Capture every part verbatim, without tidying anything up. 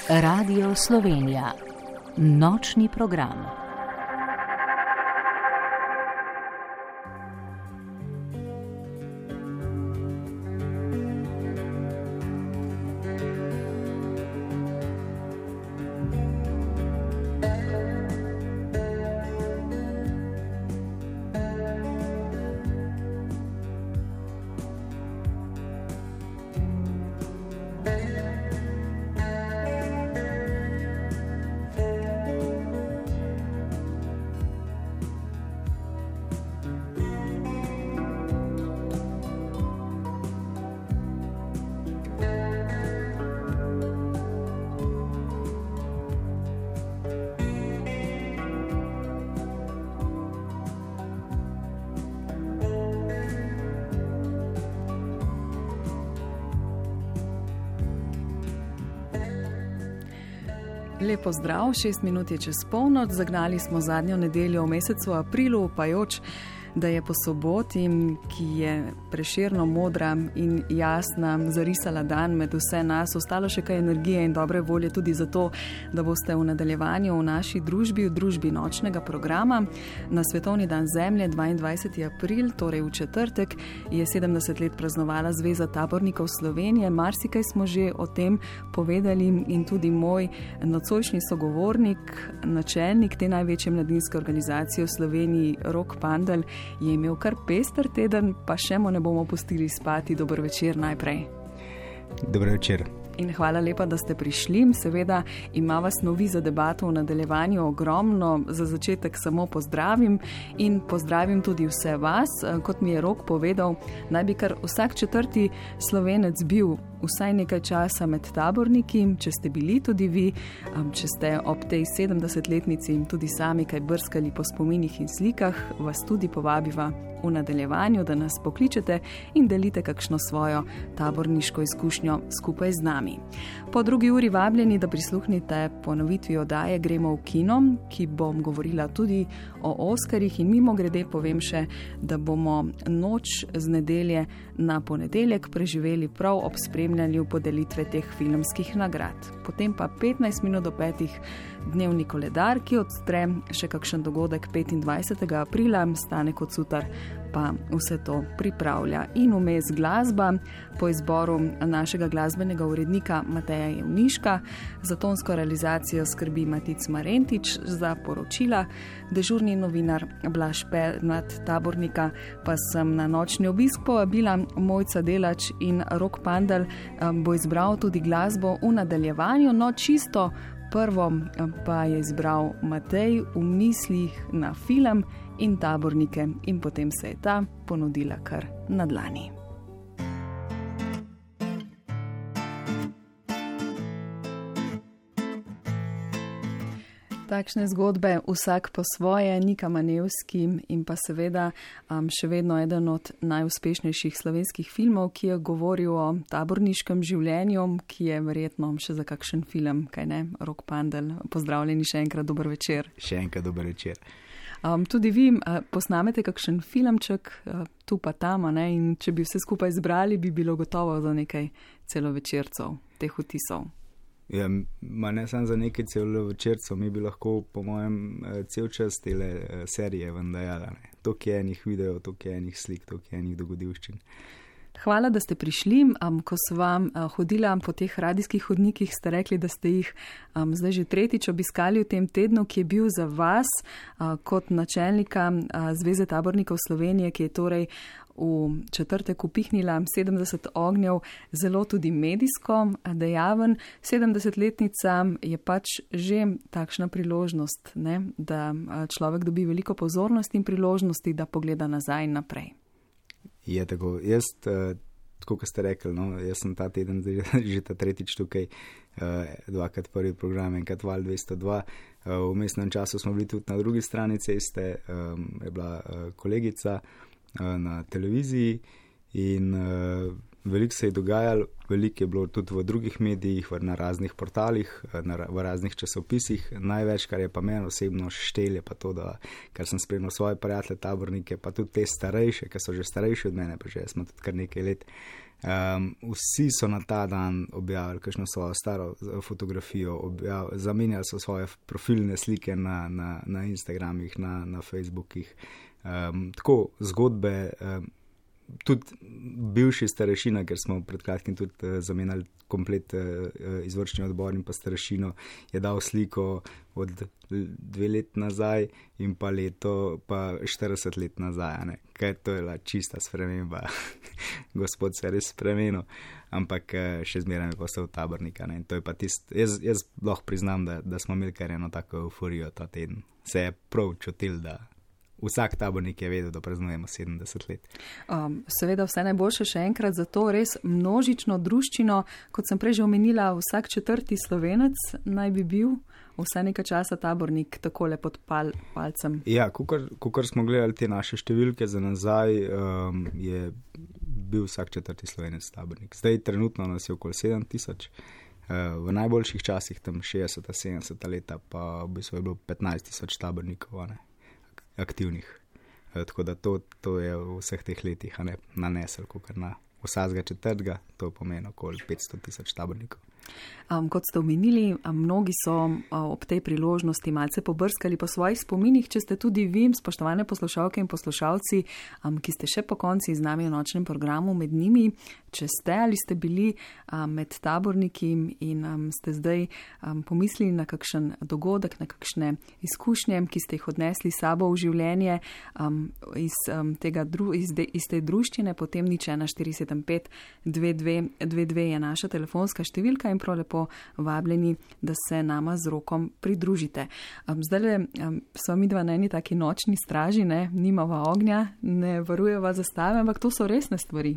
Radio Slovenija. Nočni program. Lepo zdrav, šest minut je čez polnoč, zagnali smo zadnjo nedeljo v mesecu aprilu, upajoč, da je po soboti, ki je prešerno modra in jasna, zarisala dan med vse nas, ostalo še kaj energije in dobre volje tudi zato, da boste v nadaljevanju v naši družbi, v družbi nočnega programa. Na Svetovni dan zemlje, dvaindvajseti april, torej v četrtek, je sedemdeset let praznovala Zveza tabornikov Slovenije. Marsikaj smo že o tem povedali in tudi moj nocojšnji sogovornik, načelnik te največje mladinske organizacije v Sloveniji, Rok Pandl, je imel kar pester teden, pa še mu ne bomo pustili spati. Dober večer najprej. Dober večer. In hvala lepa, da ste prišli. Seveda ima vas novi za debato v nadaljevanju ogromno. Za začetek samo pozdravim in pozdravim tudi vse vas. Kot mi je Rok povedal, naj bi kar vsak četrti Slovenec bil vsaj nekaj časa med taborniki. Če ste bili tudi vi, če ste ob tej sedemdesetletnici tudi sami kaj brskali po spominih in slikah, vas tudi povabiva v nadaljevanju, da nas pokličete in delite kakšno svojo taborniško izkušnjo skupaj z nami. Po drugi uri vabljeni, da prisluhnite ponovitvi oddaje Gremo v kino, ki bom govorila tudi o Oskarjih, in mimo grede povem še, da bomo noč z nedelje na ponedeljek preživeli prav ob spremljanju podelitve teh filmskih nagrad. Potem pa petnajst minut do petih dnevni koledar, ki odstre še kakšen dogodek petindvajsetega aprila, Stane Kocutar pa vse to pripravlja. In vmes glasba po izboru našega glasbenega urednika Mateja Jevniška. Za tonsko realizacijo skrbi Matic Marentič, za poročila dežurni novinar Blaž Pernat, tabornika pa sem na nočni obisk povabila Mojca Delač, in Rok Pandl bo izbral tudi glasbo v nadaljevanju. No, čisto prvo pa je izbral Matej v mislih na film in tabornike, in potem se je ta ponudila kar na dlani. Takšne zgodbe, vsak po svoje. Nika Manevski in pa seveda um, še vedno eden od najuspešnejših slovenskih filmov, ki je govoril o taborniškem življenju, ki je verjetno še za kakšen film, kaj ne? Rok Pandl, pozdravljeni še enkrat, dober večer. Še enkrat dober večer. Um, tudi vi uh, posnamete kakšen filmček, uh, tu pa tam, ne? In če bi vse skupaj zbrali, bi bilo gotovo za nekaj celovečercev teh vtisov. Ja, ma ne samo za nekaj celovečercev, mi bi lahko, po mojem, cel čas tele serije ven dajala. Toliko je enih videov, toliko je enih slik, toliko je enih dogodivščin. Hvala, da ste prišli. Um, ko so vam uh, hodila po teh radijskih hodnikih, ste rekli, da ste jih um, zdaj že tretjič obiskali v tem tednu, ki je bil za vas uh, kot načelnika uh, Zveze tabornikov Slovenije, ki je torej v četrtek upihnila sedemdeset ognjev, zelo tudi medijsko dejaven. sedemdesetletnica je pač že takšna priložnost, ne? Da človek dobi veliko pozornosti in priložnosti, da pogleda nazaj in naprej. Je tako. Jaz, tako kot ste rekli, no, jaz sem ta teden že ta tretjič tukaj, dvakrat prvi program, enkrat Val dvesto dva. V mestnem času smo bili tudi na drugi strani ceste, je bila kolegica na televiziji in uh, veliko se je dogajalo, veliko je bilo tudi v drugih medijih, na raznih portalih, na, v raznih časopisih. Največ, kar je pa meni osebno štelje, pa to, da kar sem spremljal svoje prijatelje, tabornike, pa tudi te starejše, ki so že starejši od mene, pa že smo tudi kar nekaj let Um, vsi so na ta dan objavili kakšno svojo staro fotografijo, objav, zamenjali so svoje profilne slike na, na, na Instagramih, na, na Facebookih. Um, tako zgodbe, um, tudi bivši starešina, ker smo pred kratkim tudi uh, zamenjali komplet uh, izvršni odbor in pa starešino, je dal sliko od dve let nazaj in pa leto, pa štirideset let nazaj, ne? Kaj to je la čista sprememba, gospod se je res spremenil, ampak uh, še zmeraj je postal tabornika, ne? In to je pa tist, jaz, jaz lahko priznam, da, da smo imeli kar eno tako euforijo ta teden, se je prav čutil, da vsak tabornik je vedel, da praznujemo sedemdeset let. Um, seveda vse najboljše še enkrat za to res množično druščino, kot sem prej že omenila, vsak četrti Slovenec naj bi bil vse nekaj časa tabornik takole pod pal, palcem. Ja, kakor smo gledali te naše številke za nazaj, um, je bil vsak četrti Slovenec tabornik. Zdaj trenutno nas je okoli sedem tisoč. Uh, v najboljših časih, tam šestdeseta, sedemdeseta leta, pa v bistvu je bilo petnajst tisoč tabornikov, ne? Aktivnih. E, tako da to, to je v vseh teh letih ne, nanesel, kot na vsakega četrtega, to pomeni okoli petsto tisoč tabornikov. Um, kot ste omenili, mnogi so um, ob tej priložnosti malce pobrskali po svojih spominih, če ste tudi vi, spoštovane poslušalke in poslušalci, um, ki ste še po konci z nami v nočnem programu med njimi, če ste ali ste bili um, med taborniki in um, ste zdaj um, pomislili na kakšen dogodek, na kakšne izkušnje, ki ste jih odnesli sabo v življenje um, iz, um, tega dru, iz, de, iz te druščine, potem nič ena štiri sedem pet dve dve dve dve je naša telefonska številka in prav lepo vabljeni, da se nama z Rokom pridružite. Um, zdaj le um, so mi dva na eni taki nočni straži, ne, nimava ognja, ne varujeva zastave, ampak to so resne stvari.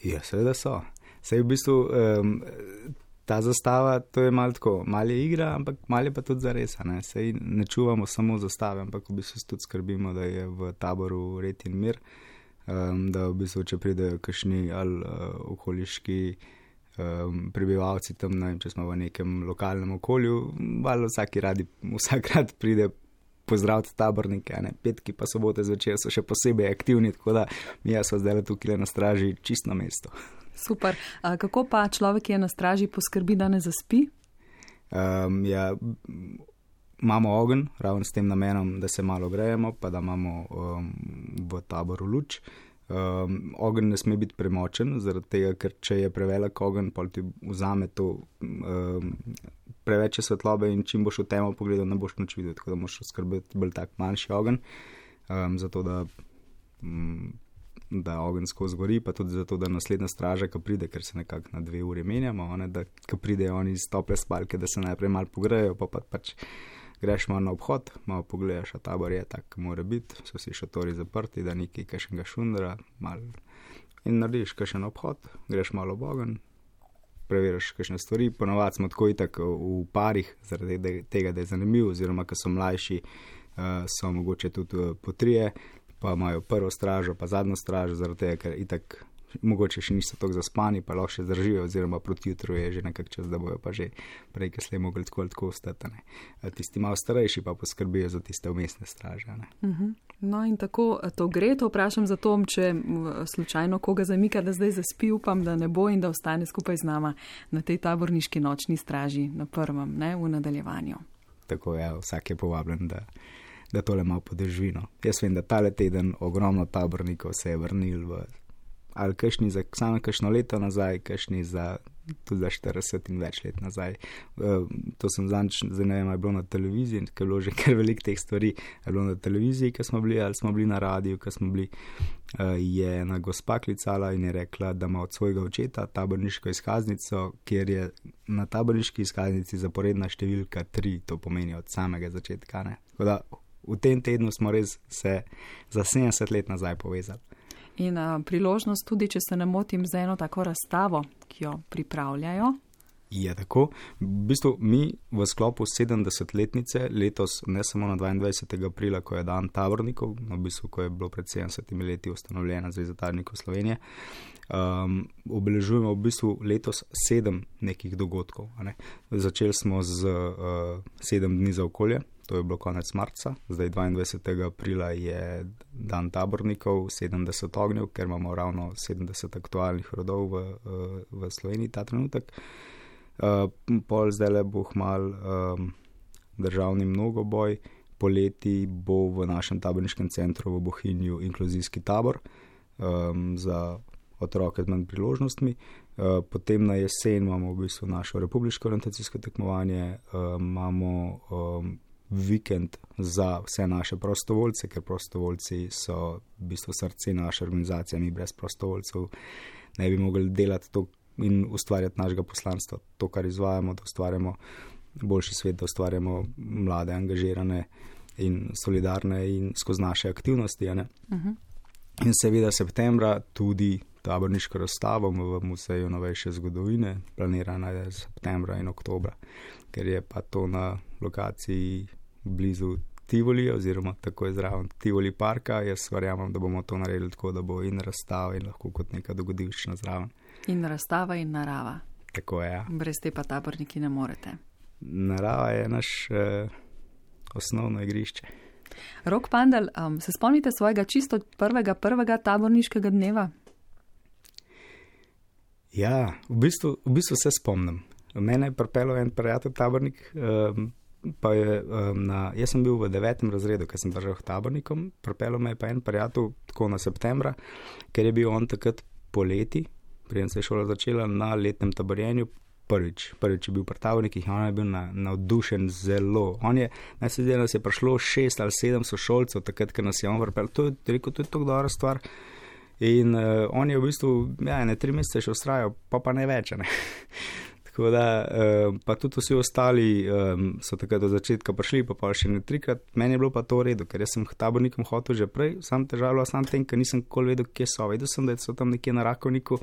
Ja, seveda so. Sej v bistvu um, ta zastava, to je malo tako, malo je igra, ampak malo je pa tudi zares, ne. Sej ne čuvamo samo zastave, ampak v bistvu tudi skrbimo, da je v taboru red in mir, um, da v bistvu, če pridejo kakšni ali uh, okoliški Um, prebivalci tam, ne vem, če smo v nekem lokalnem okolju, malo vsaki radi, vsak rad pride pozdraviti tabornike, ne, petki pa sobote zvečer so še posebej aktivni, tako da mi smo zdaj tukaj na straži čisto na mesto. Super. A kako pa človek, ki je na straži, poskrbi, da ne zaspi? Um, ja, imamo ogenj, ravno s tem namenom, da se malo grejemo, pa da imamo um, v taboru luč. Um, ogenj ne sme biti premočen, zaradi tega, ker če je prevelik ogenj, pa ti vzame to um, preveč svetlobe in čim boš v temo pogledal, ne boš nič videl, tako da moraš skrbeti bolj tak manjši ogenj, um, zato da, um, da ogenj skozi gori, pa tudi zato, da naslednja straža, ko pride, ker se nekako na dve uri menjamo, ne, da ko pridejo oni iz tople spalke, da se najprej malo pogrejo, pa pa pač greš malo na obhod, malo pogledaš, a tabor je tak, mora biti, so vsi šatori zaprti, da nekaj kakšnega šundra, malo in narediš kakšen obhod, greš malo ob ogenj, preveriš kakšne stvari, ponovadi smo tako itak v parih, zaradi tega, da je zanimiv, oziroma, ko so mlajši, so mogoče tudi po trije, pa imajo prvo stražo, pa zadnjo stražo, zaradi tega, ker itak mogoče še niso tako zaspani, pa lahko še zdržijo, oziroma proti jutru je že nekak čas, da bojo pa že prej, ker slej mogli tako ali tako ostati. Tisti malo starejši pa poskrbijo za tiste umestne straže. Ne. Uh-huh. No in tako to gre, to vprašam za to, če slučajno koga zamika, da zdaj zaspi, upam, da ne bo in da ostane skupaj z nama na tej taborniški nočni straži na prvem, ne, v nadaljevanju. Tako je, ja, vsak je povabljen, da, da tole malo podrži. No. Jaz vem, da tale teden ogromno tabornikov se je vrnil v ali kakšni za samo kakšno leto nazaj, kakšni za tudi za štirideset in več let nazaj. Uh, to sem zanč, zdaj ne vem, je bilo na televiziji, ker je bilo že kar veliko teh stvari, je bilo na televiziji, ko smo bili, ali smo bili na radiju, ko smo bili, uh, je ena gospa klicala in je rekla, da ima od svojega očeta taborniško izkaznico, kjer je na taborniški izkaznici zaporedna številka tri, to pomeni od samega začetka. Ne? Tako da v tem tednu smo res se za sedemdeset let nazaj povezali. In a, priložnost tudi, če se ne motim, za eno tako razstavo, ki jo pripravljajo. Je tako. V bistvu mi v sklopu sedemdesetletnice letos, ne samo na dvaindvajsetega aprila, ko je dan tabornikov, v bistvu, ko je bilo pred sedemdesetimi leti ustanovljena Zveza tabornikov Slovenije, um, obeležujemo v bistvu letos sedem nekih dogodkov. Ne. Začeli smo z uh, sedem dni za okolje. to je bilo konec marca, zdaj dvaindvajsetega aprila je dan tabornikov, sedemdeset ognjev, ker imamo ravno sedemdeset aktualnih rodov v, v Sloveniji ta trenutek. Pol zdaj le bo mal um, državni mnogoboj, poleti bo v našem taborniškem centru v Bohinju inkluzijski tabor um, za otroke z manj priložnostmi. Uh, potem na jesen imamo v bistvu našo republiško orientacijsko tekmovanje, uh, imamo um, vikend za vse naše prostovoljce, ker prostovoljci so v bistvu srce naše organizacije, mi brez prostovoljcev ne bi mogli delati to in ustvarjati našega poslanstva, to, kar izvajamo, da ustvarjamo boljši svet, da ustvarjamo mlade, angažirane in solidarne in skozi naše aktivnosti. A ne? Uh-huh. In seveda septembra tudi taborniško razstavo v Muzeju novejše zgodovine, planirana je septembra in oktobra, ker je pa to na lokaciji blizu Tivolija oziroma tako je zraven Tivoli parka. Jaz verjamem, da bomo to naredili tako, da bo in razstava in lahko kot neka dogodivščina zraven. In razstava in narava. Tako je, ja. Brez te pa taborniki ne morete. Narava je naš eh, osnovno igrišče. Rok Pandal, um, se spomnite svojega čisto prvega, prvega taborniškega dneva? Ja, v bistvu, v bistvu se spomnim. Mene je pripeljal en prijatelj tabornik, um, pa je um, na, jaz sem bil v devetem razredu, ker sem držal tabornikom, pripeljal me je pa en prijatelj tako na septembra, ker je bil on takrat poleti, preden se je šola začela, na letnem taborjenju prvič. Prvič je bil pri tabornikih in on je bil na, navdušen zelo. On je, naj se zdi, da nas je prišlo šest ali sedem sošolcev, takrat, ker nas je on pripeljal. To je rekel, to je tako dobra stvar. In uh, on je v bistvu, ja, ne tri mesece še ustrajal, pa pa ne več, ne. Tako da, uh, pa tudi vsi ostali um, so takrat do začetka prišli, pa pa še ne trikrat. Meni je bilo pa to v redu, ker jaz sem tabornikom hotel že prej, sam težavljal, sam tem, ker nisem nikoli vedel, kje so. Vedel sem, da so tam nekje na Rakovniku,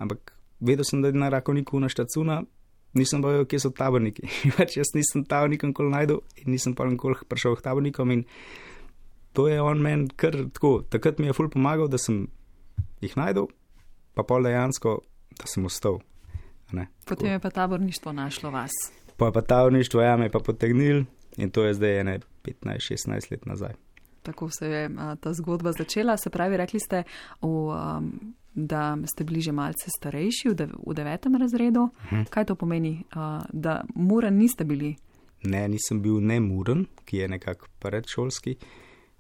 ampak vedel sem, da je na Rakovniku na Štacuna, nisem pa vedel, kje so taborniki. Pač jaz nisem tabornika nikoli najdel in nisem pa nikoli prišel k tabornikom in to je on meni kar tako. Takrat mi je ful pomagal, da sem jih najdel, pa pol dejansko, da sem ostal. Ne, potem je pa taborništvo našlo vas. Pa je pa taborništvo, ja, me je pa potegnil in to je zdaj ene petnajst šestnajst let nazaj. Tako se je a, ta zgodba začela. Se pravi, rekli ste, v, um, da ste bili že malce starejši, v, dev, v devetem razredu. Uh-huh. Kaj to pomeni, a, da muren niste bili? Ne, nisem bil ne muren, ki je nekako predšolski.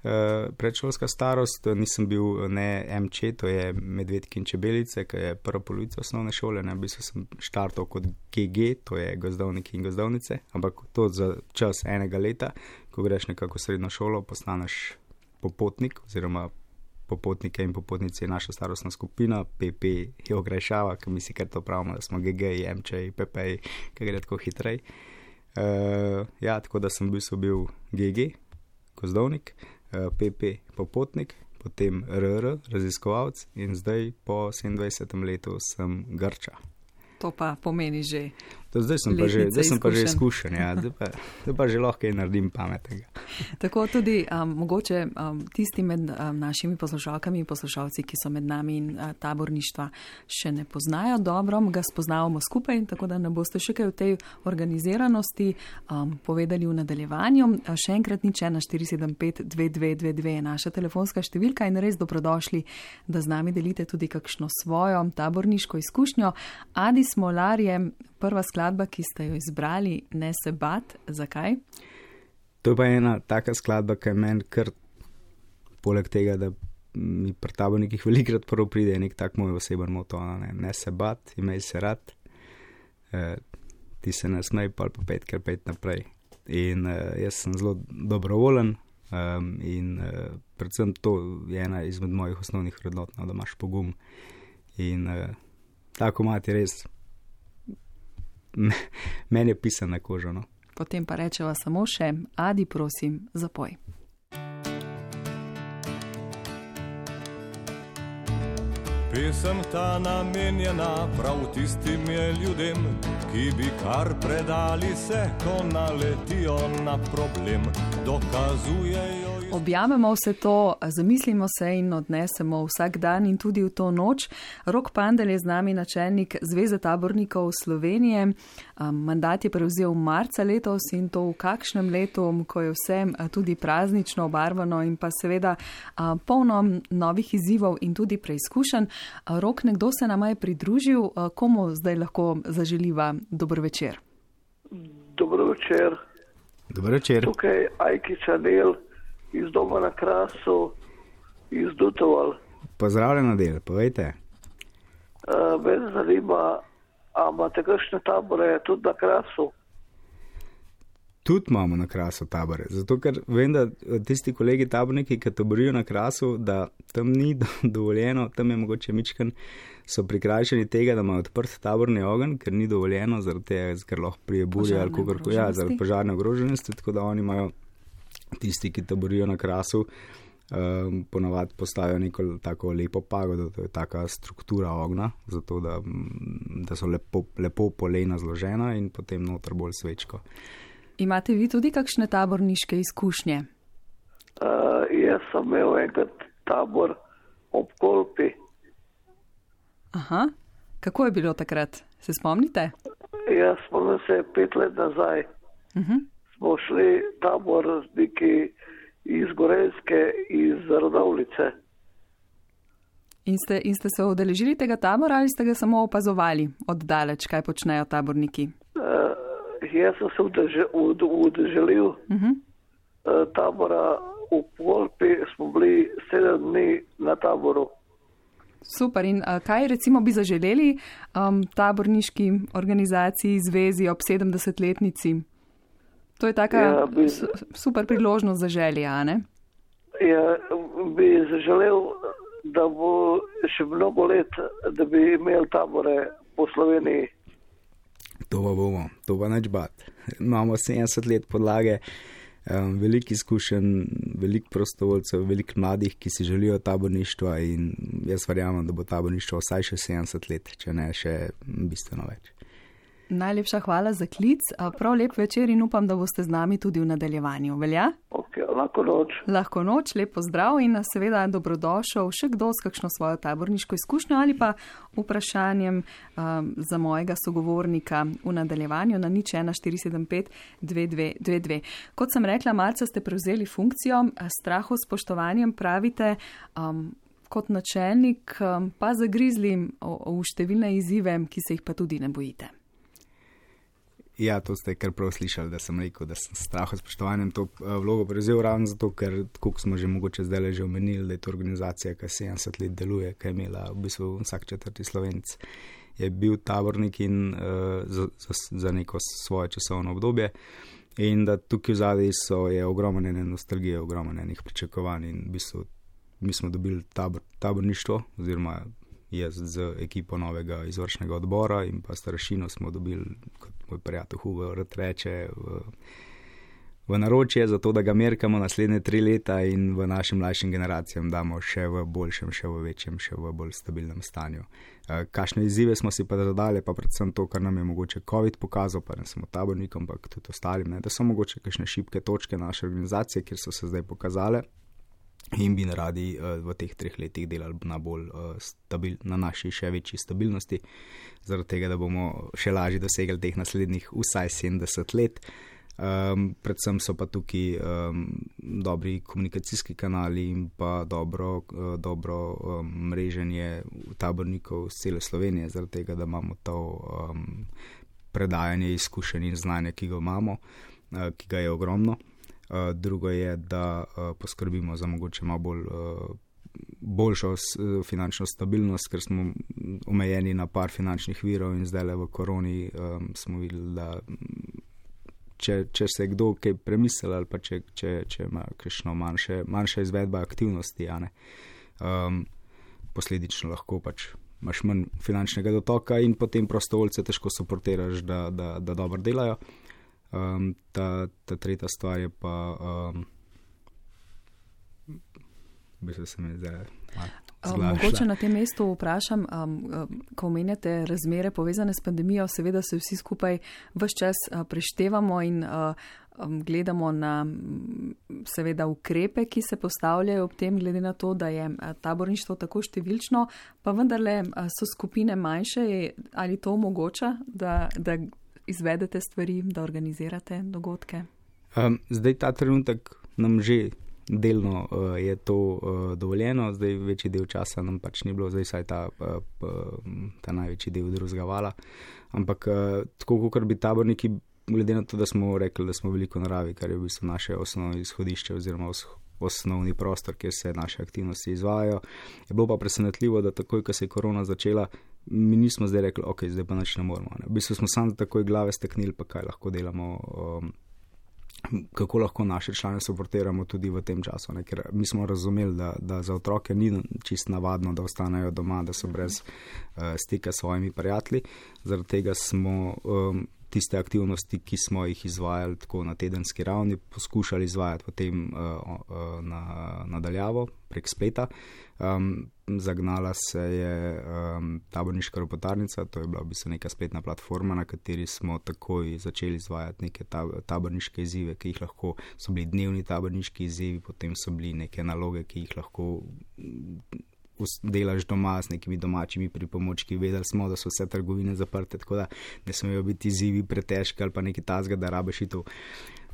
Uh, predšolska starost, nisem bil ne em če, to je medvedki in čebelice, ki je prva polovica osnovne šole, ne, v bistvu sem štartal kot ge ge, to je gozdovniki in gozdovnice, ampak to za čas enega leta, ko greš nekako v srednjo šolo, postaneš popotnik, oziroma popotnike in popotnice je naša starostna skupina, pe pe je ogrešava, ki mi si kar to pravimo, da smo ge ge, em če, pe pe, ki gre tako hitrej. Uh, ja, tako da sem v bistvu bil ge ge, gozdovnik, pe pe popotnik, potem er er, raziskovalc in zdaj po sedemindvajsetem letu sem Grča. To pa pomeni že. To zdaj sem pa že, zdaj sem pa že izkušen, ja, zdaj pa, zdaj pa že lahko kaj naredim pametnega. Tako tudi um, mogoče um, tisti med um, našimi poslušalkami in poslušalci, ki so med nami in uh, taborništva še ne poznajo dobro, ga spoznavamo skupaj, tako da ne boste še kaj v tej organiziranosti um, povedali v nadaljevanju. Še enkrat nič ena štiri sedem pet dve dve dve dve je naša telefonska številka in res dobrodošli, da z nami delite tudi kakšno svojo taborniško izkušnjo. Adi Smolar je prva skladba, ki ste jo izbrali, Ne se bat. Zakaj? To je pa ena taka skladba, ki je meni kar poleg tega, da mi pri tabornikih velikrat prvo pride nek tak moj oseben moto, ne, ne se bat, imej se rad, e, ti se ne smej, pa pa pet kar pet naprej. In e, jaz sem zelo dobrovolen um, in e, predvsem to je ena izmed mojih osnovnih vrednot, no, da imaš pogum. In e, tako mati res meni je pisan na kožo. No. Potem pa rečeva samo še, Adi, prosim, zapoj. Pesem ta namenjena prav tistim je ljudem, ki bi kar predali se, ko naletijo na problem, dokazujejo Objavimo vse to, zamislimo se in odnesemo vsak dan in tudi v to noč. Rok Pandel je z nami načelnik Zveze tabornikov Slovenije. Mandat je prevzel marca letos in to v kakšnem letu, ko je vse tudi praznično obarvano in pa seveda polno novih izzivov in tudi preizkušenj. Rok, nekdo se nama je pridružil, komu zdaj lahko zaželiva dober večer? Dobro večer. Dobro večer. Tukaj Ajki Čanel iz doma na Krasu, iz Dutoval. Pozdravljeno del, povejte. Uh, Mene zanima, a imate kakšne tabore tudi na Krasu? Tudi imamo na Krasu tabore, zato ker vem, da tisti kolegi taborniki, ki taborijo na Krasu, da tam ni dovoljeno, tam je mogoče mičken, so prikrajšani tega, da imajo odprt taborni ogenj, ker ni dovoljeno, zaradi tega, ker lahko prije burje ali kogarkoli, ja, zaradi požarne ogroženosti, tako da oni imajo tisti, ki taborijo na Krasu, um, ponavadi postavijo neko tako lepo pagodo, to je taka struktura ognja, zato da, da so lepo, lepo polena zložena in potem noter bolj svečko. Imate vi tudi kakšne taborniške izkušnje? Uh, jaz sem imel enkrat tabor ob Kolpi. Aha, kako je bilo takrat? Se spomnite? Jaz spomnim se pet let nazaj. Uh-huh. Smo šli tabor neki iz Gorenjske, iz Radovljice. In ste, in ste se udeležili tega tabora ali ste ga samo opazovali oddaleč, kaj počnejo taborniki? Uh, jaz sem se udeležil uh-huh. uh, tabora v Kolpi, smo bili sedem dni na taboru. Super, in uh, kaj recimo bi zaželeli um, taborniški organizaciji, zvezi ob sedemdesetletnici? To je taka ja, bi, super priložnost za želje, a ne? Ja, bi zaželel, da bo še mnogo let, da bi imeli tabore po Sloveniji. To pa bomo, to pa neč bat. Imamo sedemdeset let podlage, um, veliko izkušenj, veliko prostovoljcev, veliko mladih, ki si želijo taborništva in jaz verjamem, da bo taborništvo vsaj še sedemdeset let, če ne še bistveno več. Najlepša hvala za klic, prav lep večer in upam, da boste z nami tudi v nadaljevanju. Velja? Ok, lahko noč. Lahko noč, lep pozdrav in seveda dobrodošel še kdo s kakšno svojo taborniško izkušnjo ali pa vprašanjem um, za mojega sogovornika v nadaljevanju na nič ena štiri sedem pet dve dve dve dve. Kot sem rekla, marca ste prevzeli funkcijo, strahu s spoštovanjem pravite, um, kot načelnik um, pa zagrizli v številne izzive, ki se jih pa tudi ne bojite. Ja, to ste kar prav slišali, da sem rekel, da sem straho s spoštovanjem to vlogo prevzel ravno zato, ker koliko smo že mogoče zdaj že omenili, da je to organizacija, ki sedemdeset let deluje, ki je imela v bistvu vsak četrti Slovenec, je bil tabornik in uh, za, za, za neko svoje časovno obdobje in da tukaj v zadnji so je ogromno ene nostalgije, ogromno enih pričakovanj in v bistvu mi smo dobili tabor, taborništvo oziroma jaz z ekipo novega izvršnega odbora in pa starešino smo dobili, kot moj prijatelj Hugo rad reče, v, v naročje, zato da ga merkamo naslednje tri leta in v našim mlajšim generacijam damo še v boljšem, še v večjem, še v bolj stabilnem stanju. Kakšne izzive smo si pa zadali, pa predvsem to, kar nam je mogoče COVID pokazal, pa ne samo tabornikom, ampak tudi ostalim, ne, da so mogoče kakšne šibke točke naše organizacije, kjer so se zdaj pokazale. In bi radi uh, v teh treh letih delali na, bolj, uh, stabil, na naši še večji stabilnosti, zaradi tega, da bomo še lažje dosegli teh naslednjih vsaj sedemdeset let. Um, predvsem so pa tukaj um, dobri komunikacijski kanali in pa dobro, uh, dobro um, mreženje tabornikov z cele Slovenije, zaradi tega, da imamo to um, predajanje izkušenj in znanja, ki ga imamo, uh, ki ga je ogromno. Uh, drugo je, da uh, poskrbimo za mogoče malo bolj, uh, boljšo uh, finančno stabilnost, ker smo omejeni na par finančnih virov in zdaj le v koroni um, smo videli, da če, če se je kdo kaj premislil ali pa če, če, če ima kakšno manjše, manjša izvedba aktivnosti, ja, ne, um, posledično lahko pač imaš manj finančnega dotoka in potem prostovoljce težko suportiraš, da, da, da dobro delajo. Um, ta, ta tretja stvar je pa, um, bi se se mi zdaj Um, mogoče na tem mestu vprašam, um, um, ko omenjate razmere povezane s pandemijo, seveda se vsi skupaj ves čas uh, preštevamo in uh, gledamo na seveda ukrepe, ki se postavljajo ob tem, glede na to, da je taborništvo tako številčno, pa vendarle so skupine manjše, ali to omogoča, da, da izvedete stvari, da organizirate dogodke? Um, zdaj ta trenutek nam že delno uh, je to uh, dovoljeno, zdaj večji del časa nam pač ni bilo, zdaj saj ta, uh, ta največji del drugega vala, ampak uh, tako kot bi taborniki, glede na to, da smo rekli, da smo veliko naravi, kar je v bistvu naše osnovno izhodišče oziroma os, osnovni prostor, kjer se naše aktivnosti izvajajo, je bilo pa presenetljivo, da takoj, ko se je korona začela, mi nismo zdaj rekli, ok, zdaj pa nič ne moramo. Ne. V bistvu smo samo takoj glave steknili, pa kaj lahko delamo, um, kako lahko naše člane suportiramo tudi v tem času, ne? Ker mi smo razumeli, da, da za otroke ni čist navadno, da ostanejo doma, da so brez uh, stika s svojimi prijatelji. Zaradi tega smo um, tiste aktivnosti, ki smo jih izvajali tako na tedenski ravni, poskušali izvajati potem uh, uh, na, nadaljavo prek spleta. Um, zagnala se je um, taborniška ropotarnica, to je bila v bistvu neka spletna platforma, na kateri smo takoj začeli izvajati neke taborniške izzive, ki jih lahko, so bili dnevni taborniški izzivi, potem so bili neke naloge, ki jih lahko delaš doma s nekimi domačimi pripomočki. Vedeli smo, da so vse trgovine zaprte, tako da ne smejo biti izzivi pretežki ali pa nekaj tazga, da rabiš iti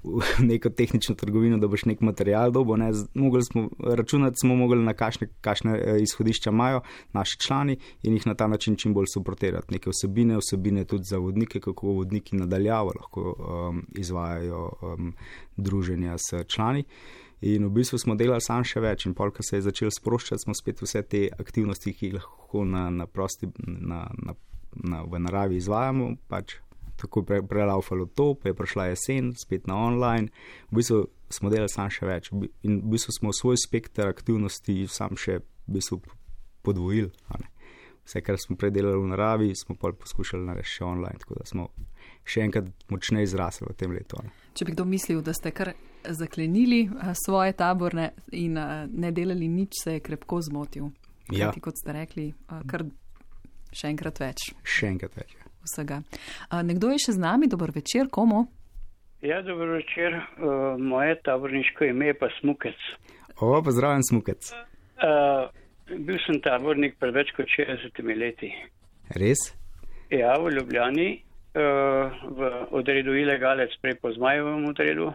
v neko tehnično trgovino, da boš nek material dobil. Ne, mogli smo računati, smo mogli na kakšne, kakšne izhodišča imajo naši člani in jih na ta način čim bolj suportirati. Neke vsebine, vsebine tudi za vodnike, kako vodniki nadaljavo lahko um, izvajajo um, druženja s člani. In v bistvu smo delali sam še več in pol, ko se je začel sproščati, smo spet vse te aktivnosti, ki jih lahko na, na prosti, na, na, na, v naravi izvajamo, pač tako pre, prelaufalo to, pa je prišla jesen, spet na online, v bistvu smo delali sam še več in v bistvu smo svoj spekter aktivnosti sam še v bistvu podvojili. Vse, kar smo predelali v naravi, smo pol poskušali narediti še online, tako da smo še enkrat močneje izrasli v tem letu. Ne. Če bi kdo mislil, da ste kar zaklenili svoje taborne in ne delali nič, se je krepko zmotil. Ja. Kajti, kot ste rekli, kar še enkrat več. Še enkrat več, ja. Vsega. Nekdo je še z nami, dober večer, komu? Ja, dober večer, uh, moje taborniško ime je pa Smukec. O, pozdravljen Smukec. Uh, bil sem tabornik pred več kot šestdesetimi leti. Res? Ja, v Ljubljani, uh, v odredu Ilegalec, prej po Zmajevem odredu.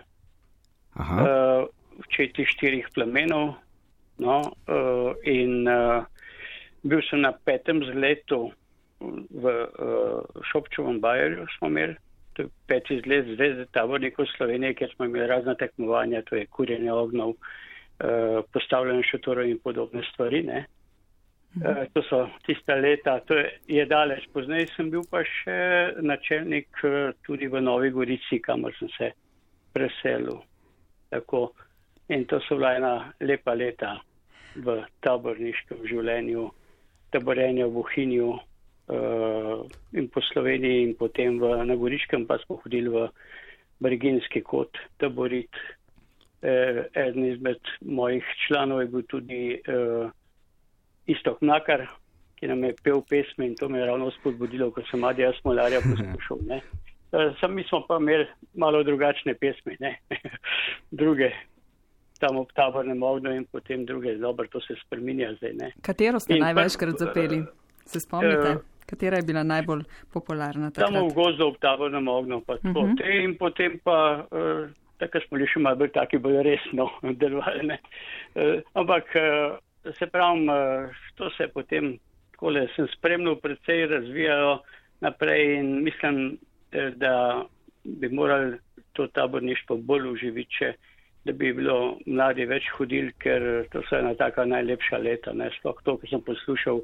Aha. Uh, v četi štirih plamenov. No, uh, in uh, bil sem na petem zletu v uh, Šopčovem bajerju smo imeli, to je peti izlet Zveze tabornikov Slovenije, kjer smo imeli razna tekmovanja, to je kurjenje ognov, uh, postavljanje šotorov in podobne stvari. Ne? Uh, to so tista leta, to je, je daleč. Poznaj sem bil pa še načelnik uh, tudi v Novi Gorici, kamor sem se preselil. Tako. In to so bila ena lepa leta v taborniškem življenju, taborenja v Bohinju, Uh, in po Sloveniji in potem v, na Goriškem pa smo hodili v Briginski kot taborit. Uh, eden izmed mojih članov je bil tudi uh, Istok Mlakar, ki nam je pel pesme in to me je ravno spodbudilo, ko sem Adija Smolarja poslušal. Ne. Uh, sam mi smo pa imeli malo drugačne pesme, ne. druge tam ob tabornem ognju in potem druge. Dobro, to se spreminja zdaj. Ne. Katero ste in največkrat pa, zapeli? Se spomnite? Uh, Katera je bila najbolj popularna takrat? Tam v gozdu ob tabornem ognju, pa tako. Uh-huh. Te in potem pa, uh, tako smo bili še malo bolj taki bolj resno delovali. Uh, ampak, uh, se pravim, uh, to se potem, takole sem spremljal, predvsej razvijalo naprej in mislim, uh, da bi morali to taborništvo bolj uživiti, če, da bi bilo mladi več hodili, ker to so ena taka najlepša leta. Ne? Sploh to, ko sem poslušal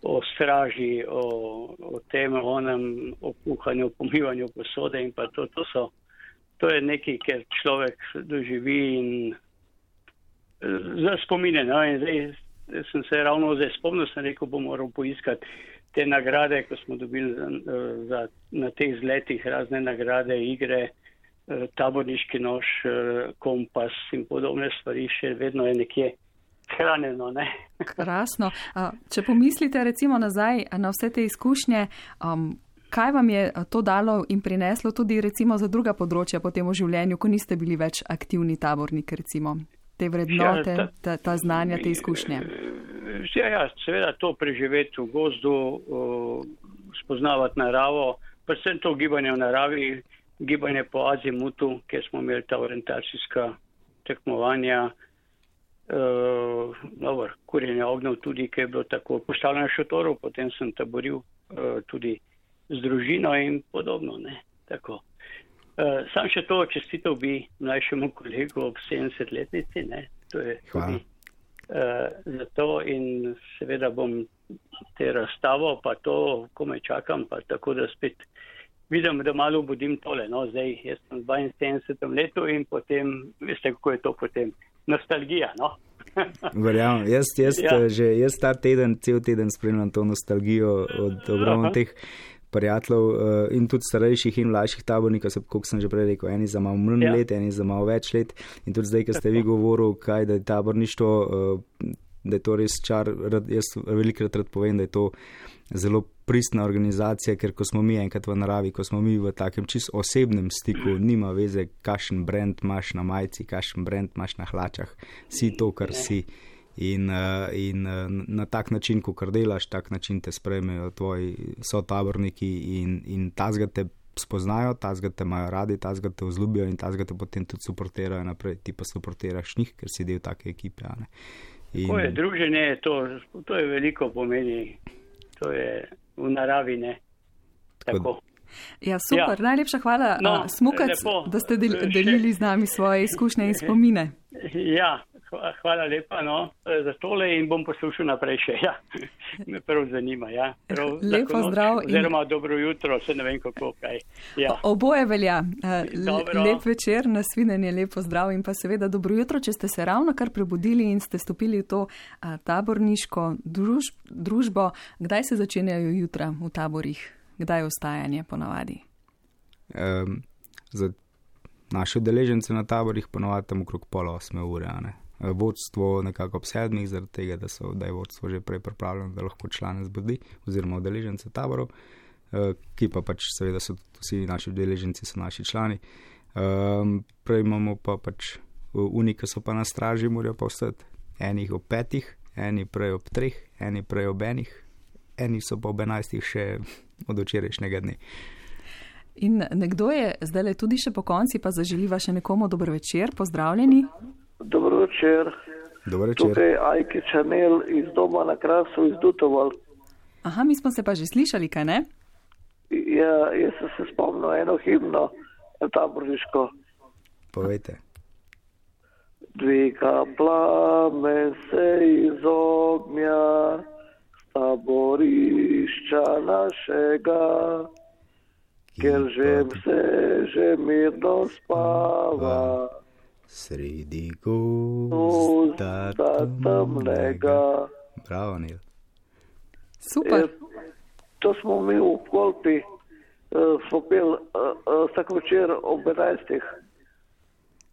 o straži, o, o tem, o onem, o kuhanju, o pomivanju posode in pa to, to so, to je nekaj, ker človek doživi in za spomine, no, in zdaj sem se ravno zdaj spomnil, sem rekel, bom moral poiskati te nagrade, ko smo dobili za, za, na teh zletih razne nagrade, igre, taborniški nož, kompas in podobne stvari, še vedno je nekje hranjeno, ne. Krasno. Če pomislite recimo nazaj na vse te izkušnje, um, kaj vam je to dalo in prineslo tudi recimo za druga področja potem v življenju, ko niste bili več aktivni tabornik, recimo te vrednote, ja, ta, ta, ta znanja, te izkušnje? Ja, ja, seveda to preživeti v gozdu, spoznavati naravo, predvsem to gibanje v naravi, gibanje po azimutu, kjer smo imeli ta orientacijska tekmovanja, uh, dobro, kurjenje ognjev tudi, ki je bilo tako postavljeno šotorov, potem sem taboril uh, tudi z družino in podobno, ne, tako. Uh, sam še to čestitev bi mlajšemu kolegu ob sedemdesetletnici, ne, to je tudi uh, za to in seveda bom te razstavo, pa to, ko me čakam, pa tako da spet vidim, da malo obudim tole, no, zdaj jaz sem v dvainsedemdesetem letu in potem, veste, kako je to potem, nostalgija, no. Verjamem, jaz, jaz, Ja. že, jaz ta teden, cel teden spremljam to nostalgijo od ogromno teh prijateljev uh, in tudi starejših in mlajših tabornikov, kot sem že prej rekel, eni za malo manj Ja. let, eni za malo več let in tudi zdaj, ko ste vi govoril, kaj, da je taborništvo, uh, da je to res čar, rad, jaz velikrat rad povem, da je to zelo pristna organizacija, ker ko smo mi enkrat v naravi, ko smo mi v takem čisto osebnem stiku, nima veze, kakšen brand imaš na majici, kakšen brand imaš na hlačah, si to, kar si. In, uh, in uh, na tak način, ko kar delaš, tak način te sprejmejo tvoji sotaborniki in, in tazga te spoznajo, tazga te imajo radi, tazga te vzljubijo in tazga te potem tudi suportirajo naprej, ti pa suportiraš njih, ker si del take ekipe. Ne? In... Ko je druženje, to, to je veliko pomeni, to je v naravi, ne, tako. Ja, super, ja. Najlepša hvala, No, uh, Smukac, lepo. da ste del, Še- delili z nami svoje izkušnje in spomine. Ja, hva- hvala lepa, no, za tole in bom poslušal naprej še, ja. Me prav zanima, ja. Prav Lep lahko noč, pozdrav in- Oziroma dobro jutro, se ne vem kako, kaj. Ja. Oboje velja. Uh, Dobro. lep večer, nasvidenje, lep pozdrav in pa seveda dobro jutro, če ste se ravno kar prebudili in ste stopili v to uh, taborniško druž, družbo. Kdaj se začenjajo jutra v taborih? Kdaj je vstajanje ponavadi? Um, za naše udeležence na taborih ponovadi tam okrog pol osme ure. Ne? Vodstvo nekako ob sedmih, zaradi tega, da, so, da je vodstvo že prej pripravljeno, da lahko člane zbudi, oziroma udeležence taborov, uh, ki pa pač seveda so vsi naši udeleženci, so naši člani. Um, prej imamo pa pač uni, ki so pa na straži, morajo pa vstati. Enih ob petih, eni prej ob treh, eni prej ob enih, eni so pa ob enajstih še od včerajšnjega dne. In nekdo je zdaj tudi še po konci, pa zaželiva še nekomu dober večer, pozdravljeni. Dobro večer. Dober večer. Tukaj Ajke Čanel iz doma na Krasu iz Dutoval. Aha, mi smo se pa že slišali, kaj ne? Ja, jaz sem se spomnil eno himno, taborniško. Povejte. Dviga plamen se iz ognja, taborišča našega, ker že vse že mirno spava. Sredi gozda temnega. Bravo, Nil. Super. E, to smo mi v Kolpi, uh, smo peli uh, uh, vsak večer ob enajstih.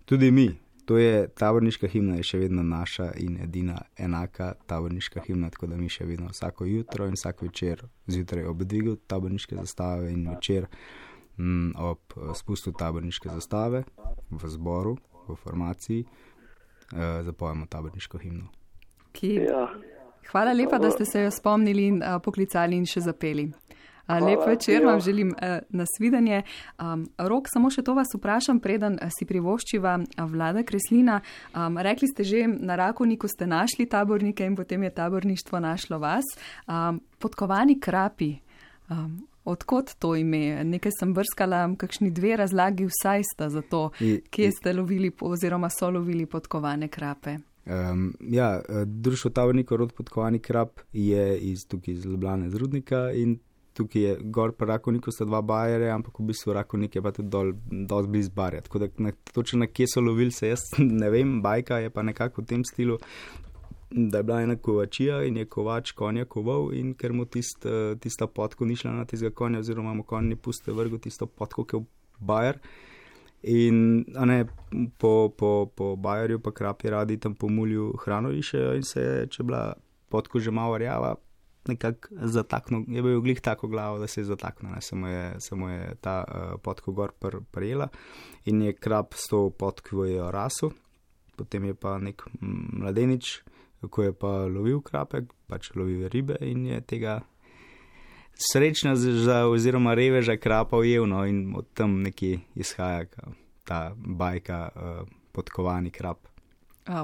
Tudi mi. To je taborniška himna, je še vedno naša in edina enaka taborniška himna, tako da mi še vedno vsako jutro in vsak večer zjutraj ob dvigu taborniške zastave in večer m, ob spustu taborniške zastave v zboru, v formaciji, eh, zapojemo taborniško himno. Ki... Ja. Hvala lepa, da ste se jo spomnili in uh, poklicali in še zapeli. Uh, lep večer vam želim uh, nasvidenje. Um, Rok, samo še to vas vprašam, preden uh, si privoščiva uh, Vlada Kreslina. Um, rekli ste že, na Rakovniku ste našli tabornike in potem je taborništvo našlo vas. Um, podkovani krapi, um, odkot to ime? Nekaj sem brskala, kakšni dve razlagi vsaj sta za to, I, kje i, ste lovili oziroma so lovili podkovane krape. Um, ja, društvo tabornikov rod podkovani krap je iz, tukaj iz Ljubljane z Rudnika in tukaj je gor pa Rakovniku sta dva bajere, ampak v bistvu Rakovnik je pa tudi dol, dosti bliz barja. Tako da na, točno na kje so lovili se, jaz ne vem, bajka je pa nekako v tem stilu, da je bila ena kovačija in je kovač konja koval in ker mu tist, tista potko ni šla na tistega konja oziroma mu konj ni puste vrgo tisto potko, ki je v bajer. In a ne, po, po, po bajerju pa krapi radi tam po mulju hrano išejo in se, če bila potko že malo rjava, nekako zataknil, je bil glih tako glavo, da se je zataknil, ne, samo je, samo je ta uh, podko gor pr, prijela in je krab s to podko jo rasu, potem je pa nek mladenič, ko je pa lovil krapek, pač lovil ribe in je tega srečna za, oziroma reveža krapa ujel, no, in od tam nekje izhaja ta bajka uh, podkovani krap.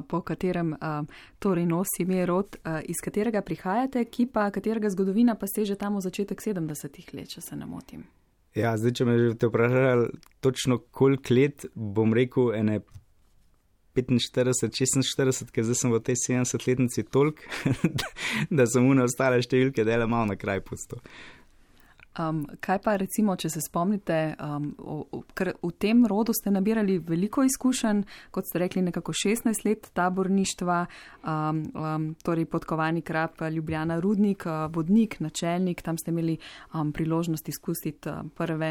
Po katerem uh, torej nosi ime rod, uh, iz katerega prihajate, ki pa katerega zgodovina pa seže tam v začetek sedemdesetih let, če se ne motim. Ja, zdaj, če me že te vprašali točno koliko let, bom rekel ene petinštirideset, šestinštirideset, ker zdaj sem v tej sedemdesetletnici toliko, da sem une ostale številke dele malo na kraj pustil. Um, kaj pa recimo, če se spomnite, um, o, o, ker v tem rodu ste nabirali veliko izkušenj, kot ste rekli, nekako šestnajst let taborništva, um, um, torej podkovani krap, Ljubljana Rudnik, uh, vodnik, načelnik, tam ste imeli um, priložnost izkusiti uh, prve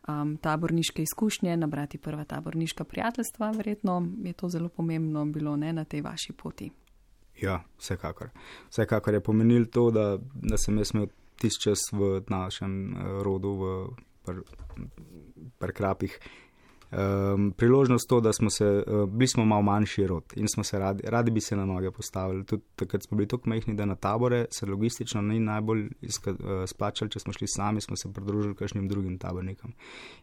um, taborniške izkušnje, nabrati prva taborniška prijateljstva, verjetno je to zelo pomembno bilo, ne, na tej vaši poti. Ja, vsekakor. Vsekakor je pomenilo to, da, da sem jaz imel tisti čas v našem rodu, v pr, pr krapih. Um, priložnost to, da smo se, uh, bili smo malo manjši rod in smo se radi, radi bi se na noge postavili. Tudi takrat smo bili tako majhni, da na tabore se logistično ni najbolj izka, uh, splačali, če smo šli sami, smo se pridružili kakšnim drugim tabornikom.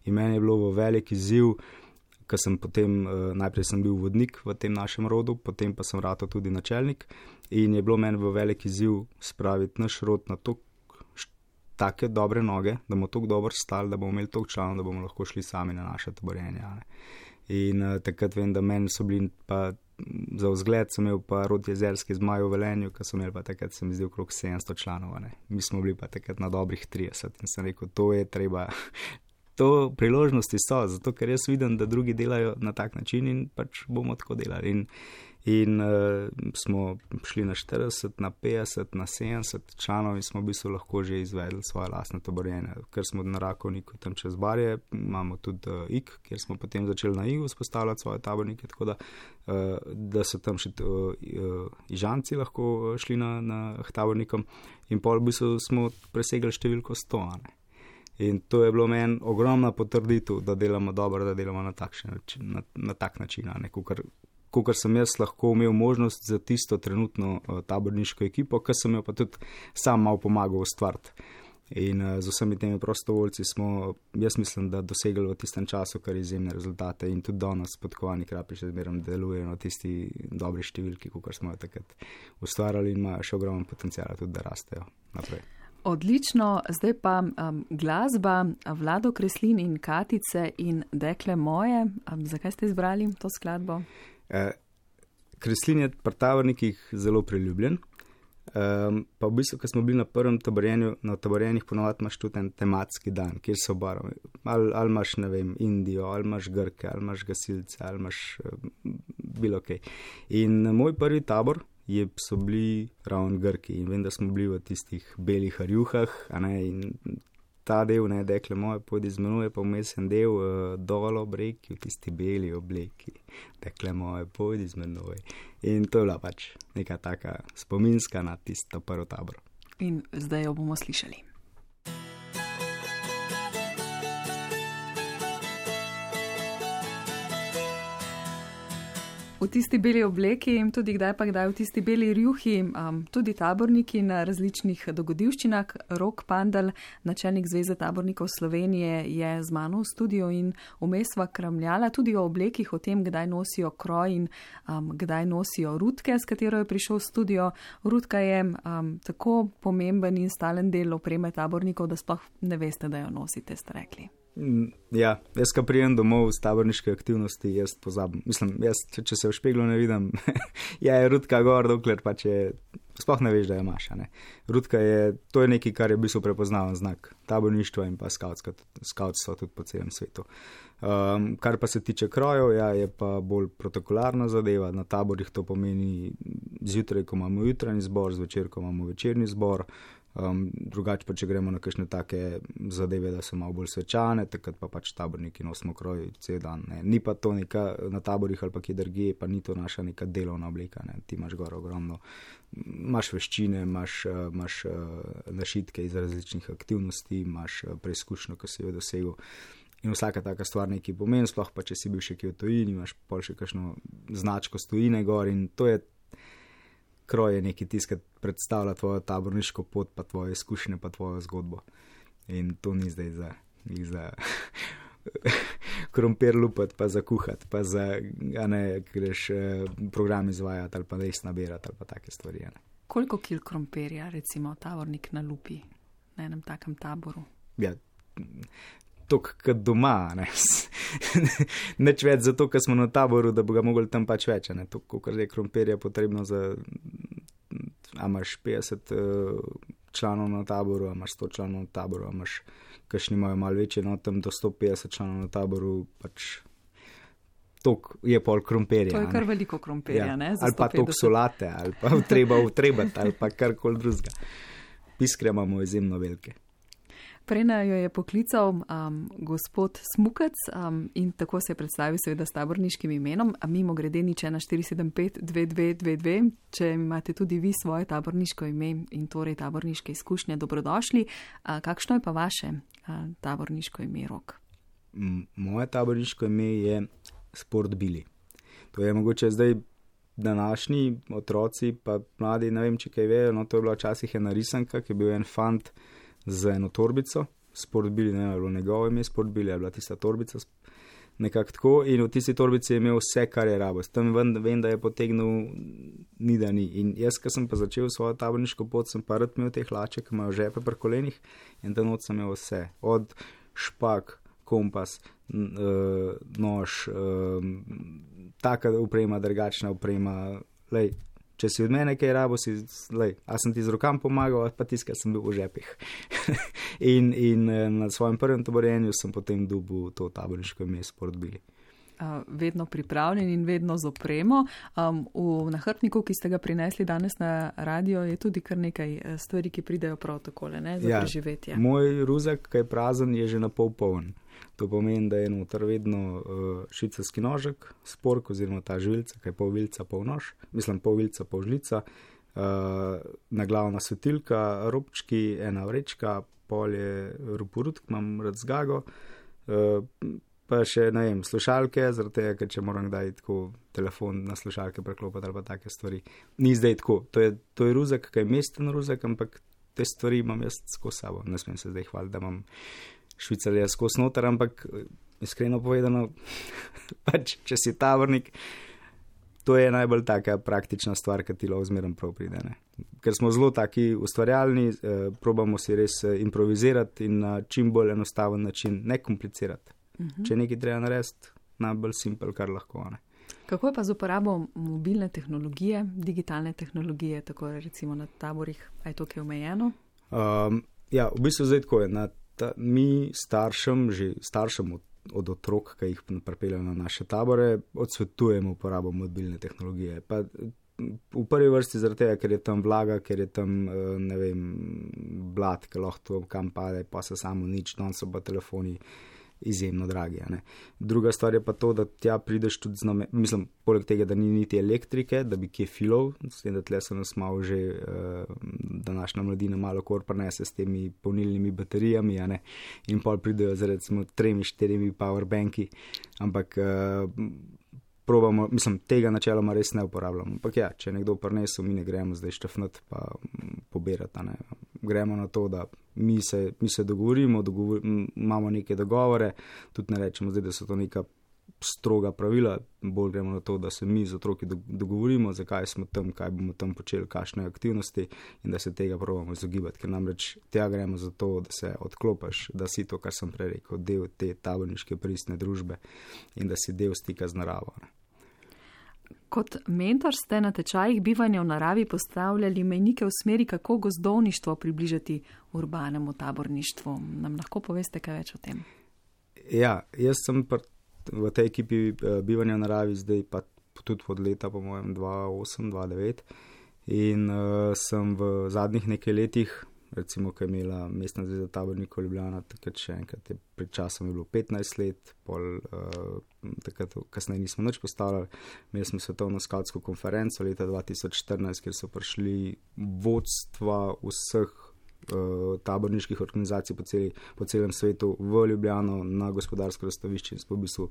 In meni je bilo v velik izziv, ker sem potem, uh, najprej sem bil vodnik v tem našem rodu, potem pa sem ratal tudi načelnik in je bilo meni v velik izziv spraviti naš rod na to, take dobre noge, da bomo tako dobro stali, da bomo imeli toliko članov, da bomo lahko šli sami na naše taborjenje. In uh, takrat vem, da meni so bili pa za vzgled, sem imel pa rod jezerski zmaj v Velenju, ker so imeli pa takrat, se mi zdi, okrog sedemsto članov. Ne. Mi smo bili pa takrat na dobrih trideset in sem rekel, to je treba, to priložnosti so, zato ker jaz vidim, da drugi delajo na tak način in pač bomo tako delali. In, in uh, smo šli na štirideset, na petdeset, na sedemdeset članov in smo v bistvu lahko že izvedli svoje lastne taborjenje. Ker smo na Rakovniku tam čez Barje, imamo tudi uh, I K, kjer smo potem začeli na Igu spostavljati svoje tabornike, tako da, uh, da so tam še uh, uh, Ižanci lahko šli na, na tabornikom in pol v bistvu smo presegli številko sto. Ne? In to je bilo meni ogromna potrditev, da delamo dobro, da delamo na, način, na, na tak način, ne, kukor, kukor sem jaz lahko imel možnost za tisto trenutno uh, taborniško ekipo, ker sem jo pa tudi sam malo pomagal ustvariti. In uh, z vsemi temi prostovoljci smo, jaz mislim, da dosegli v tistem času kar izjemne rezultate in tudi danes podkovani krapi še zmeraj delujejo na tisti dobri številki, kukor smo jo takrat ustvarjali in imajo še ogromno potencijala tudi, da rastejo naprej. Odlično, zdaj pa um, glasba Vlado Kreslin in Katice in Dekle moje. Um, zakaj ste izbrali to skladbo? Eh, Kreslin je pri tabornikih zelo priljubljen, um, pa v bistvu, ko smo bili na prvem taborjenju, na taborjenjih ponovadi imaš tudi en tematski dan, kjer so barve. Ali, ali imaš, ne vem, Indijo, ali imaš Grke, ali imaš gasilce, ali imaš uh, bilo kaj. In moj prvi tabor je, so bili ravno Grki in vem, da smo bili v tistih belih harjuhah, a ne, in ta del, ne, Dekle moje, pojdi z menoj, pa vmes en del uh, dol ob reki, v tisti beli obleki, Dekle moje, pojdi z menoj. In to je bila pač neka taka spominska na tisto prvo tabor. In zdaj jo bomo slišali. V tisti beli obleki in tudi kdaj pa kdaj v tisti beli rjuhi, um, tudi taborniki na različnih dogodivščinah. Rok Pandal, načelnik Zveze tabornikov Slovenije, je z mano v studiu in vmes sva kramljala tudi o oblekih, o tem, kdaj nosijo kroj in um, kdaj nosijo rutke, s katero je prišel v studio. Rutka je um, tako pomemben in stalen del opreme tabornikov, da sploh ne veste, da jo nosite, ste rekli. Ja, jaz, ko prijem domov z taborniške aktivnosti, jaz pozabim. Mislim, jaz, če, če se v špeglu ne vidim, ja, je rutka gor, dokler pa če sploh ne veš, da je maša. Ne. Rutka je, to je nekaj, kar je v bistvu prepoznaven znak taborništva in pa skautstva tudi po celem svetu. Um, kar pa se tiče krojev, ja, je pa bolj protokolarna zadeva. Na taborih to pomeni zjutraj, ko imamo jutranji zbor, zvečer, ko imamo večerni zbor. Um, drugače pa, če gremo na kakšne take zadeve, da so malo bolj svečane, takrat pa pač taborniki nosimo kroj cel dan. Ne. Ni pa to neka na taborih ali pa kje drugje, pa ni to naša neka delovna oblika. Ne. Ti imaš gor ogromno, imaš veščine, imaš, imaš našitke iz različnih aktivnosti, imaš preizkušnjo, ko si jo dosegel. In vsaka taka stvar nekaj pomeni, sploh pa če si bil še kje v tujini, imaš pol še kakšno značko z tujine gor in to je kroj je nekaj tiskati, predstavlja tvojo taborniško pot, pa tvoje izkušnje, pa tvojo zgodbo. In to ni zdaj za, za krompir lupati, pa za kuhati, pa za, a ne, greš program izvajati ali pa res nabirati ali pa take stvari. Ne. Koliko kil krompirja, recimo, tabornik na lupi na enem takem taboru? Ja, tok kot doma, ne. Neč več zato, ker smo na taboru, da bo ga mogli tam pač več, ne. To, koliko je krompirja potrebno za, a imaš petdeset uh, članov na taboru, a imaš sto članov na taboru, a imaš, kakšni imajo malo večje, no, tam do sto petdeset članov na taboru, pač tok je pol krompirja. To je kar ne. Veliko krompirja, ja. Ne? Za ali pa tok solate, ali pa treba utrebati, ali pa karkoli drugega. Piskre imamo izjemno velike. Prena jo je poklical um, gospod Smukec um, in tako se je predstavil seveda s taborniškim imenom, a mimo grede nič ena štiri sedem pet dve dve dve dve, če imate tudi vi svoje taborniško ime in torej taborniške izkušnje, dobrodošli. A, kakšno je pa vaše a, taborniško ime, Rok? M- moje taborniško ime je Sport Bili. To je mogoče zdaj današnji otroci, pa mladi, ne vem, če kaj vejo, no to je bila včasih ena risanka, ki je bil en fant z eno torbico, Sport Bili, ne vem, je bilo njegovo ime, Sport Bili je bila tista torbica, nekako tako, in v tisti torbici je imel vse, kar je rabo. S tem vem, vem, da je potegnil ni da ni. In jaz, ko sem pa začel svojo taborniško pot, sem pa rad imel te hlače, ki imajo žepe pri kolenih, in ta noč sem imel vse, od špak, kompas, nož, taka oprema, drugačna oprema, lej, če si od mene kaj rabo, si, lej, a sem ti z rokam pomagal, pa tiskal sem bil v žepih. in, in na svojem prvem taborjenju sem potem dobil to taborniško ime Sport Bili. Uh, vedno pripravljen in vedno z opremo. Um, v nahrbniku, ki ste ga prinesli danes na radio, je tudi kar nekaj stvari, ki pridejo prav takole, ne, za ja, preživetje. Moj ruzak, ki je prazen, je že na pol poln. To pomeni, da je noter vedno uh, švicarski nožek, spork oziroma ta žvilca, ki je pol vilca, pol nož, mislim pol vilca, pol žlica, uh, naglavna svetilka, robčki, ena vrečka, pol je ruporut, imam rad zgago, uh, pa še, ne vem, slušalke, zaradi tega, ker če moram kdaj tako telefon na slušalke preklopati ali pa take stvari. Ni zdaj tako, to je, to je ruzak, ki je mesten ruzak, ampak te stvari imam jaz skozi sabo. Ne smem se zdaj hvaliti, da imam švicarja skozi noter, ampak iskreno povedano, pač, če si tabornik, to je najbolj taka praktična stvar, ki ti lahko zmeraj prav pride. Ne? Ker smo zelo taki ustvarjalni, eh, probamo si res improvizirati in na čim bolj enostaven način, ne komplicirati. Uh-huh. Če nekaj treba narediti, najbolj simpel, kar lahko. Ne? Kako je pa z uporabo mobilne tehnologije, digitalne tehnologije, tako recimo na taborih, a je to kaj omejeno? Um, ja, v bistvu zdaj tako je. Na ta, mi staršem, že staršem od, od otrok, ki jih pripeljajo na naše tabore, odsvetujemo uporabo mobilne tehnologije. Pa v prvi vrsti zaradi tega, ker je tam vlaga, ker je tam, ne vem, blat, ki lahko to kam pade, pa se samo nič, non so pa telefoni izjemno dragi. Ne. Druga stvar je pa to, da tja prideš tudi z namen, mislim, poleg tega, da ni niti elektrike, da bi kje filov, s tem, da tle se nas malo že uh, današnja mladina malo kor prenese s temi polnilnimi baterijami, a ne, in pol pridejo z recimo tremi, štirimi powerbanki, ampak uh, probamo, mislim, tega načeloma res ne uporabljamo. Ampak ja, če nekdo prinesel, mi ne gremo zdaj štafnati pa pobirati, ne. Gremo na to, da mi se, mi se dogovorimo, dogovor, imamo neke dogovore, tudi ne rečemo zdaj, da so to neka stroga pravila, bolj gremo na to, da se mi z otroki dogovorimo, zakaj smo tam, kaj bomo tam počeli, kakšne aktivnosti in da se tega probamo izogibati, ker namreč tja gremo za to, da se odklopaš, da si to, kar sem prej rekel, del te taborniške pristne družbe in da si del stika z naravo. Ne. Kot mentor ste na tečajih bivanja v naravi postavljali mejnike v smeri, kako gozdovništvo približati urbanemu taborništvu. Nam lahko poveste kaj več o tem? Ja, jaz sem pr- v tej ekipi bivanja v naravi zdaj pa tudi od leta po mojem dva osem dva devet in uh, sem v zadnjih nekaj letih recimo, ko je imela Mestna zveza tabornikov Ljubljana, takrat še enkrat je pred časom je bilo petnajst let, pol uh, takrat kasneje nismo nič postavljali. Imeli smo svetovno skavtsko konferenco leta dva tisoč štirinajst, kjer so prišli vodstva vseh uh, taborniških organizacij po, celi, po celem svetu v Ljubljano na gospodarsko razstavišče in smo v bistvu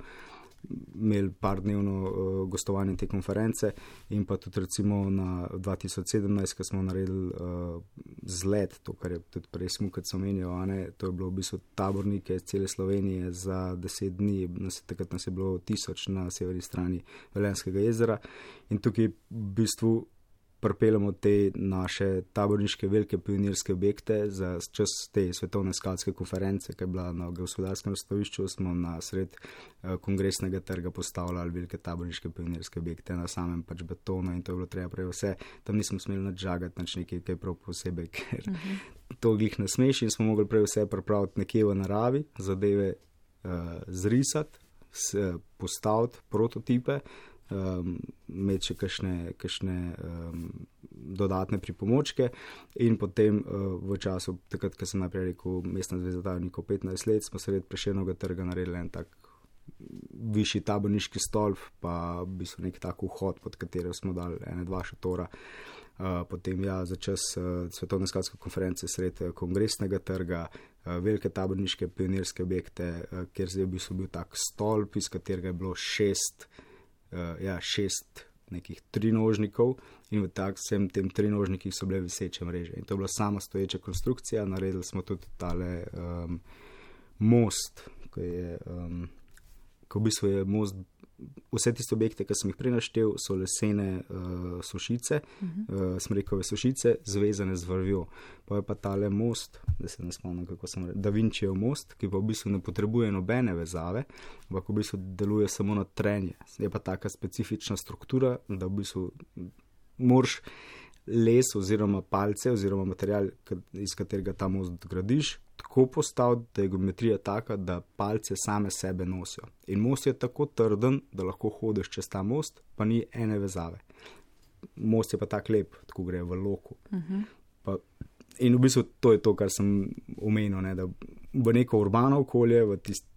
imeli par dnevno uh, gostovanje te konference in pa tudi recimo na dva tisoč sedemnajst, ko smo naredili uh, zlet, to, kar je tudi prej Smukec omenil, a ne, to je bilo v bistvu tabornike iz cele Slovenije za deset dni, nas, takrat nas je bilo tisoč na severni strani Velenjskega jezera in tukaj v bistvu pripeljamo te naše taborniške velike pionirske objekte za čas te svetovne skavtske konference, ki je bila na gospodarskem razstavišču, smo na sred uh, kongresnega trga postavljali velike taborniške pionirske objekte na samem pač betonu in to je bilo treba prej vse. Tam nismo smeli nič žagati, nič nekaj, kaj prav posebej, ker uh-huh. to glih ne smeš in smo mogli prej vse pripraviti nekje v naravi, zadeve uh, zrisati, s, postaviti prototipe, Um, imeti še kakšne, kakšne um, dodatne pripomočke in potem uh, v času, takrat, ko sem najprej rekel Mestna zveza tabornikov petnajst let, smo sred Prešernovega trga naredili en tak višji taborniški stolp, pa v bistvu nek tak vhod, pod katero smo dali ene dva šatora. Uh, potem ja, za čas uh, svetovne skavtske konference sred uh, kongresnega trga, uh, velike taborniške pionirske objekte, uh, kjer je v bistvu bil tak stolp, iz katerega je bilo šest Uh, ja, šest nekih trinožnikov in v tak vsem tem trinožnikih so bile viseče mreže. In to je bila sama stoječa konstrukcija. Naredili smo tudi tale um, most, ko je, um, ko v bistvu je most, vse tiste objekte, ki sem jih prenaštel, so lesene uh, sušice, uh-huh. uh, smrekove sušice, zvezane z vrvjo. Pa je pa tale most, da se ne spomnim, kako sem rekel, Da Vincijev most, ki pa v bistvu ne potrebuje nobene vezave, ampak v bistvu deluje samo na trenje. Je pa taka specifična struktura, da v bistvu moraš les oziroma palce oziroma material, iz katerega ta most gradiš, tako postaviti, da je geometrija taka, da palce same sebe nosijo. In most je tako trden, da lahko hodiš čez ta most, pa ni ene vezave. Most je pa tak lep, tako gre v loku. Uh-huh. Pa, in v bistvu to je to, kar sem omenil, ne, da v neko urbano okolje, v tist,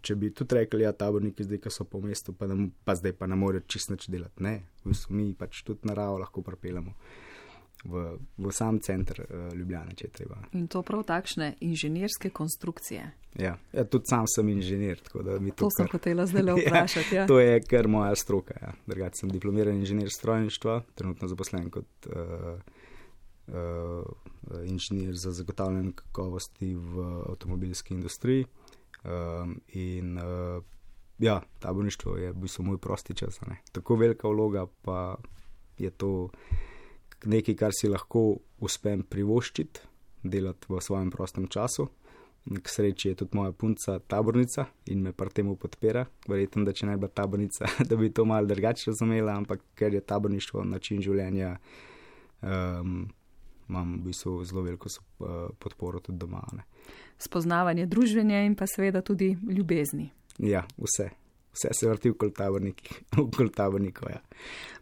če bi tudi rekli, ja, taborniki zdaj, ki so po mestu, pa, ne, pa zdaj pa ne morejo čisto nič delati. Ne, v bistvu mi pač tudi naravo lahko pripeljamo. V, v sam center uh, Ljubljane, če je treba. In to prav takšne inženirske konstrukcije. Ja, ja, tudi sam sem inženir, tako da mi to... To sem kar... hotela zdaj le vprašati, ja. To je kar moja stroka, ja. Drugače sem diplomiran inženir strojništva, trenutno zaposlen kot uh, uh, inženir za zagotavljanje kakovosti v avtomobilski industriji. Um, in uh, ja, taborništvo je v bistvu moj prosti čas, ne. Tako velika vloga, pa je to nekaj, kar si lahko uspem privoščiti, delati v svojem prostem času. K sreči je tudi moja punca tabornica in me pri temu podpira. Verjetno, da če ne bi tabornica, da bi to malo drugače razumela, ampak ker je taborništvo način življenja, um, imam v bistvu zelo veliko podporo tudi doma. Ne. Spoznavanje družbenja in pa seveda tudi ljubezni. Ja, vse. Vse se vrti okoli tabornikov, ja.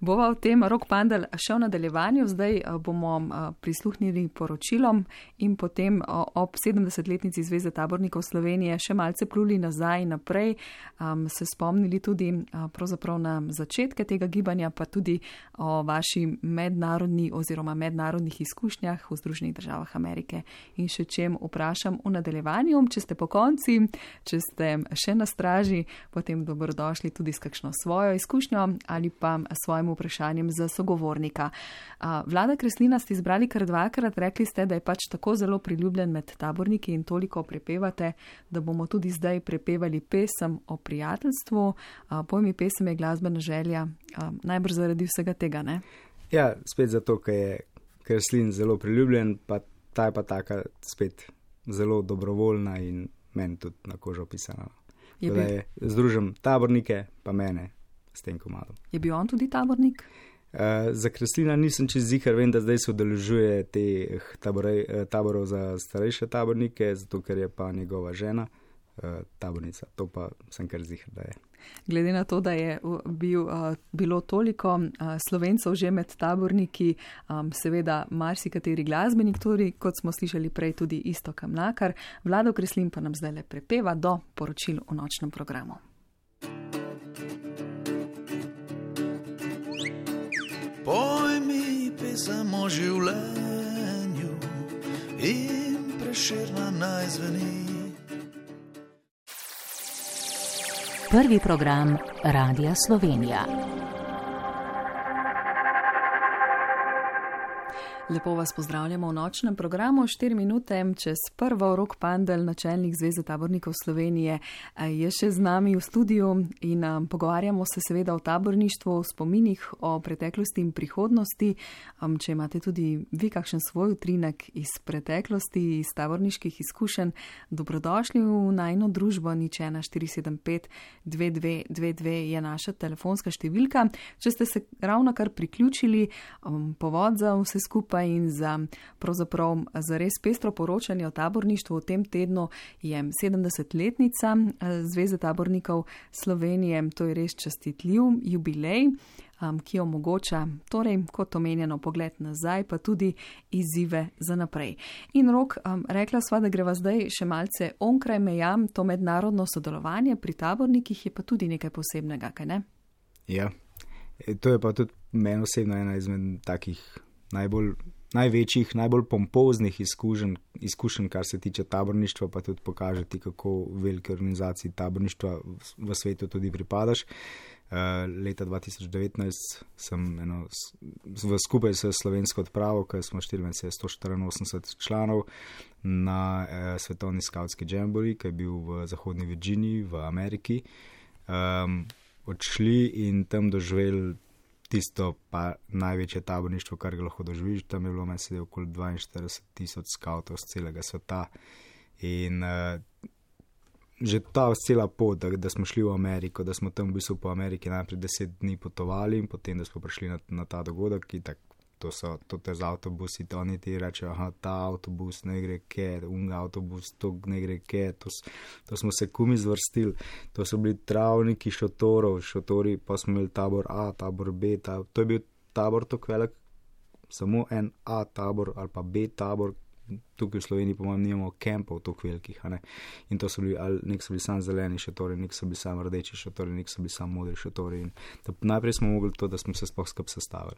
Bova v tem Rok Pandal še v nadaljevanju, zdaj bomo prisluhnili poročilom in potem ob sedemdesetletnici Zveze tabornikov Slovenije še malce pluli nazaj in naprej, um, se spomnili tudi pravzaprav na začetke tega gibanja, pa tudi o vaši mednarodni oziroma mednarodnih izkušnjah v Združenih državah Amerike. In še čem vprašam v nadaljevanju, če ste po konci, če ste še na straži, potem dobro dobrodošli tudi s kakšno svojo izkušnjo ali pa svojim vprašanjem za sogovornika. Vlada Kreslina ste izbrali kar dvakrat, rekli ste, da je pač tako zelo priljubljen med taborniki in toliko prepevate, da bomo tudi zdaj prepevali pesem o prijateljstvu. Pojmi pesem je glasbena želja, najbrž zaradi vsega tega, ne? Ja, spet zato, ker je Kreslin zelo priljubljen, pa ta je pa taka spet zelo dobrovoljna in meni tudi na kožo pisana. Je bil... je, združim tabornike, pa mene s tem komadom. Je bil on tudi tabornik? Uh, za Kreslina nisem čez zihar, vem, da zdaj se udeležuje teh taborov za starejše tabornike, zato ker je pa njegova žena uh, tabornica. To pa sem kar ziher, da je. Glede na to, da je bil, uh, bilo toliko uh, Slovencev že med taborniki, um, seveda marsikateri glasbenik, tudi, kot smo slišali prej, tudi Iztok Mlakar, Vlado Kreslin pa nam zdaj le prepeva do poročil v nočnem programu. Poj mi pesem o življenju in Prešerna naj zveni. Prvi program Radia Slovenija. Lepo vas pozdravljamo v nočnem programu. Štiri minute čez prvo. Rok Pandel, načelnik Zveze tabornikov Slovenije, je še z nami v studiu in um, pogovarjamo se seveda o taborništvu, o spominih, o preteklosti in prihodnosti. Um, če imate tudi vi kakšen svoj utrinek iz preteklosti, iz taborniških izkušenj, dobrodošli v najino družbo. Nič ena štiri sedem pet dve dve dve dve je naša telefonska številka. Če ste se ravno kar priključili, um, povod za vse skupaj in za pravzaprav za res pestro poročanje o taborništvu v tem tednu je sedemdesetletnica Zveze tabornikov Slovenije. To je res častitljiv jubilej, um, ki omogoča, torej, kot omenjeno, pogled nazaj, pa tudi izzive za naprej. In Rok, um, rekla sva, da greva zdaj še malce onkraj meja, to mednarodno sodelovanje pri tabornikih je pa tudi nekaj posebnega, kaj ne? Ja, to je pa tudi meni osebno ena izmed takih najbolj, največjih, najbolj pompoznih izkušenj, izkušenj, kar se tiče taborništva, pa tudi pokažeti, kako velike organizaciji taborništva v, v svetu tudi pripadaš. Uh, leta dva tisoč devetnajst sem eno, v skupaj s slovensko odpravo, ker smo štiri sto štiriinosemdeset članov na uh, svetovni skautski jamboree, ki je bil v zahodni Virginiji v Ameriki, um, odšli in tam doživeli tisto pa največje taborništvo, kar ga lahko doživiš. Tam je bilo meni sedaj okoli dvainštirideset tisoč skautov z celega sveta in uh, že ta cela pot, da, da smo šli v Ameriko, da smo tam v bistvu po Ameriki najprej deset dni potovali in potem, da smo prišli na, na ta dogodek, ki tak, to so to te z avtobusi, to oni ti rečejo, aha, ta avtobus ne gre ke, unga avtobus, to ne gre ke, to, to smo se kumi zvrstili, to so bili travniki šotorov, šotori, pa smo imeli tabor A, tabor B, tabor, to je bil tabor tako velik, samo en A tabor ali pa B tabor, tukaj v Sloveniji po mojem nimamo kempov tako velikih, a ne, in to so bili, ali nek so bili sam zeleni šotori, nek so bili sam rdeči šotori, nek so bili sam modri šotori in da, najprej smo mogli to, da smo se sploh skupaj sestavili.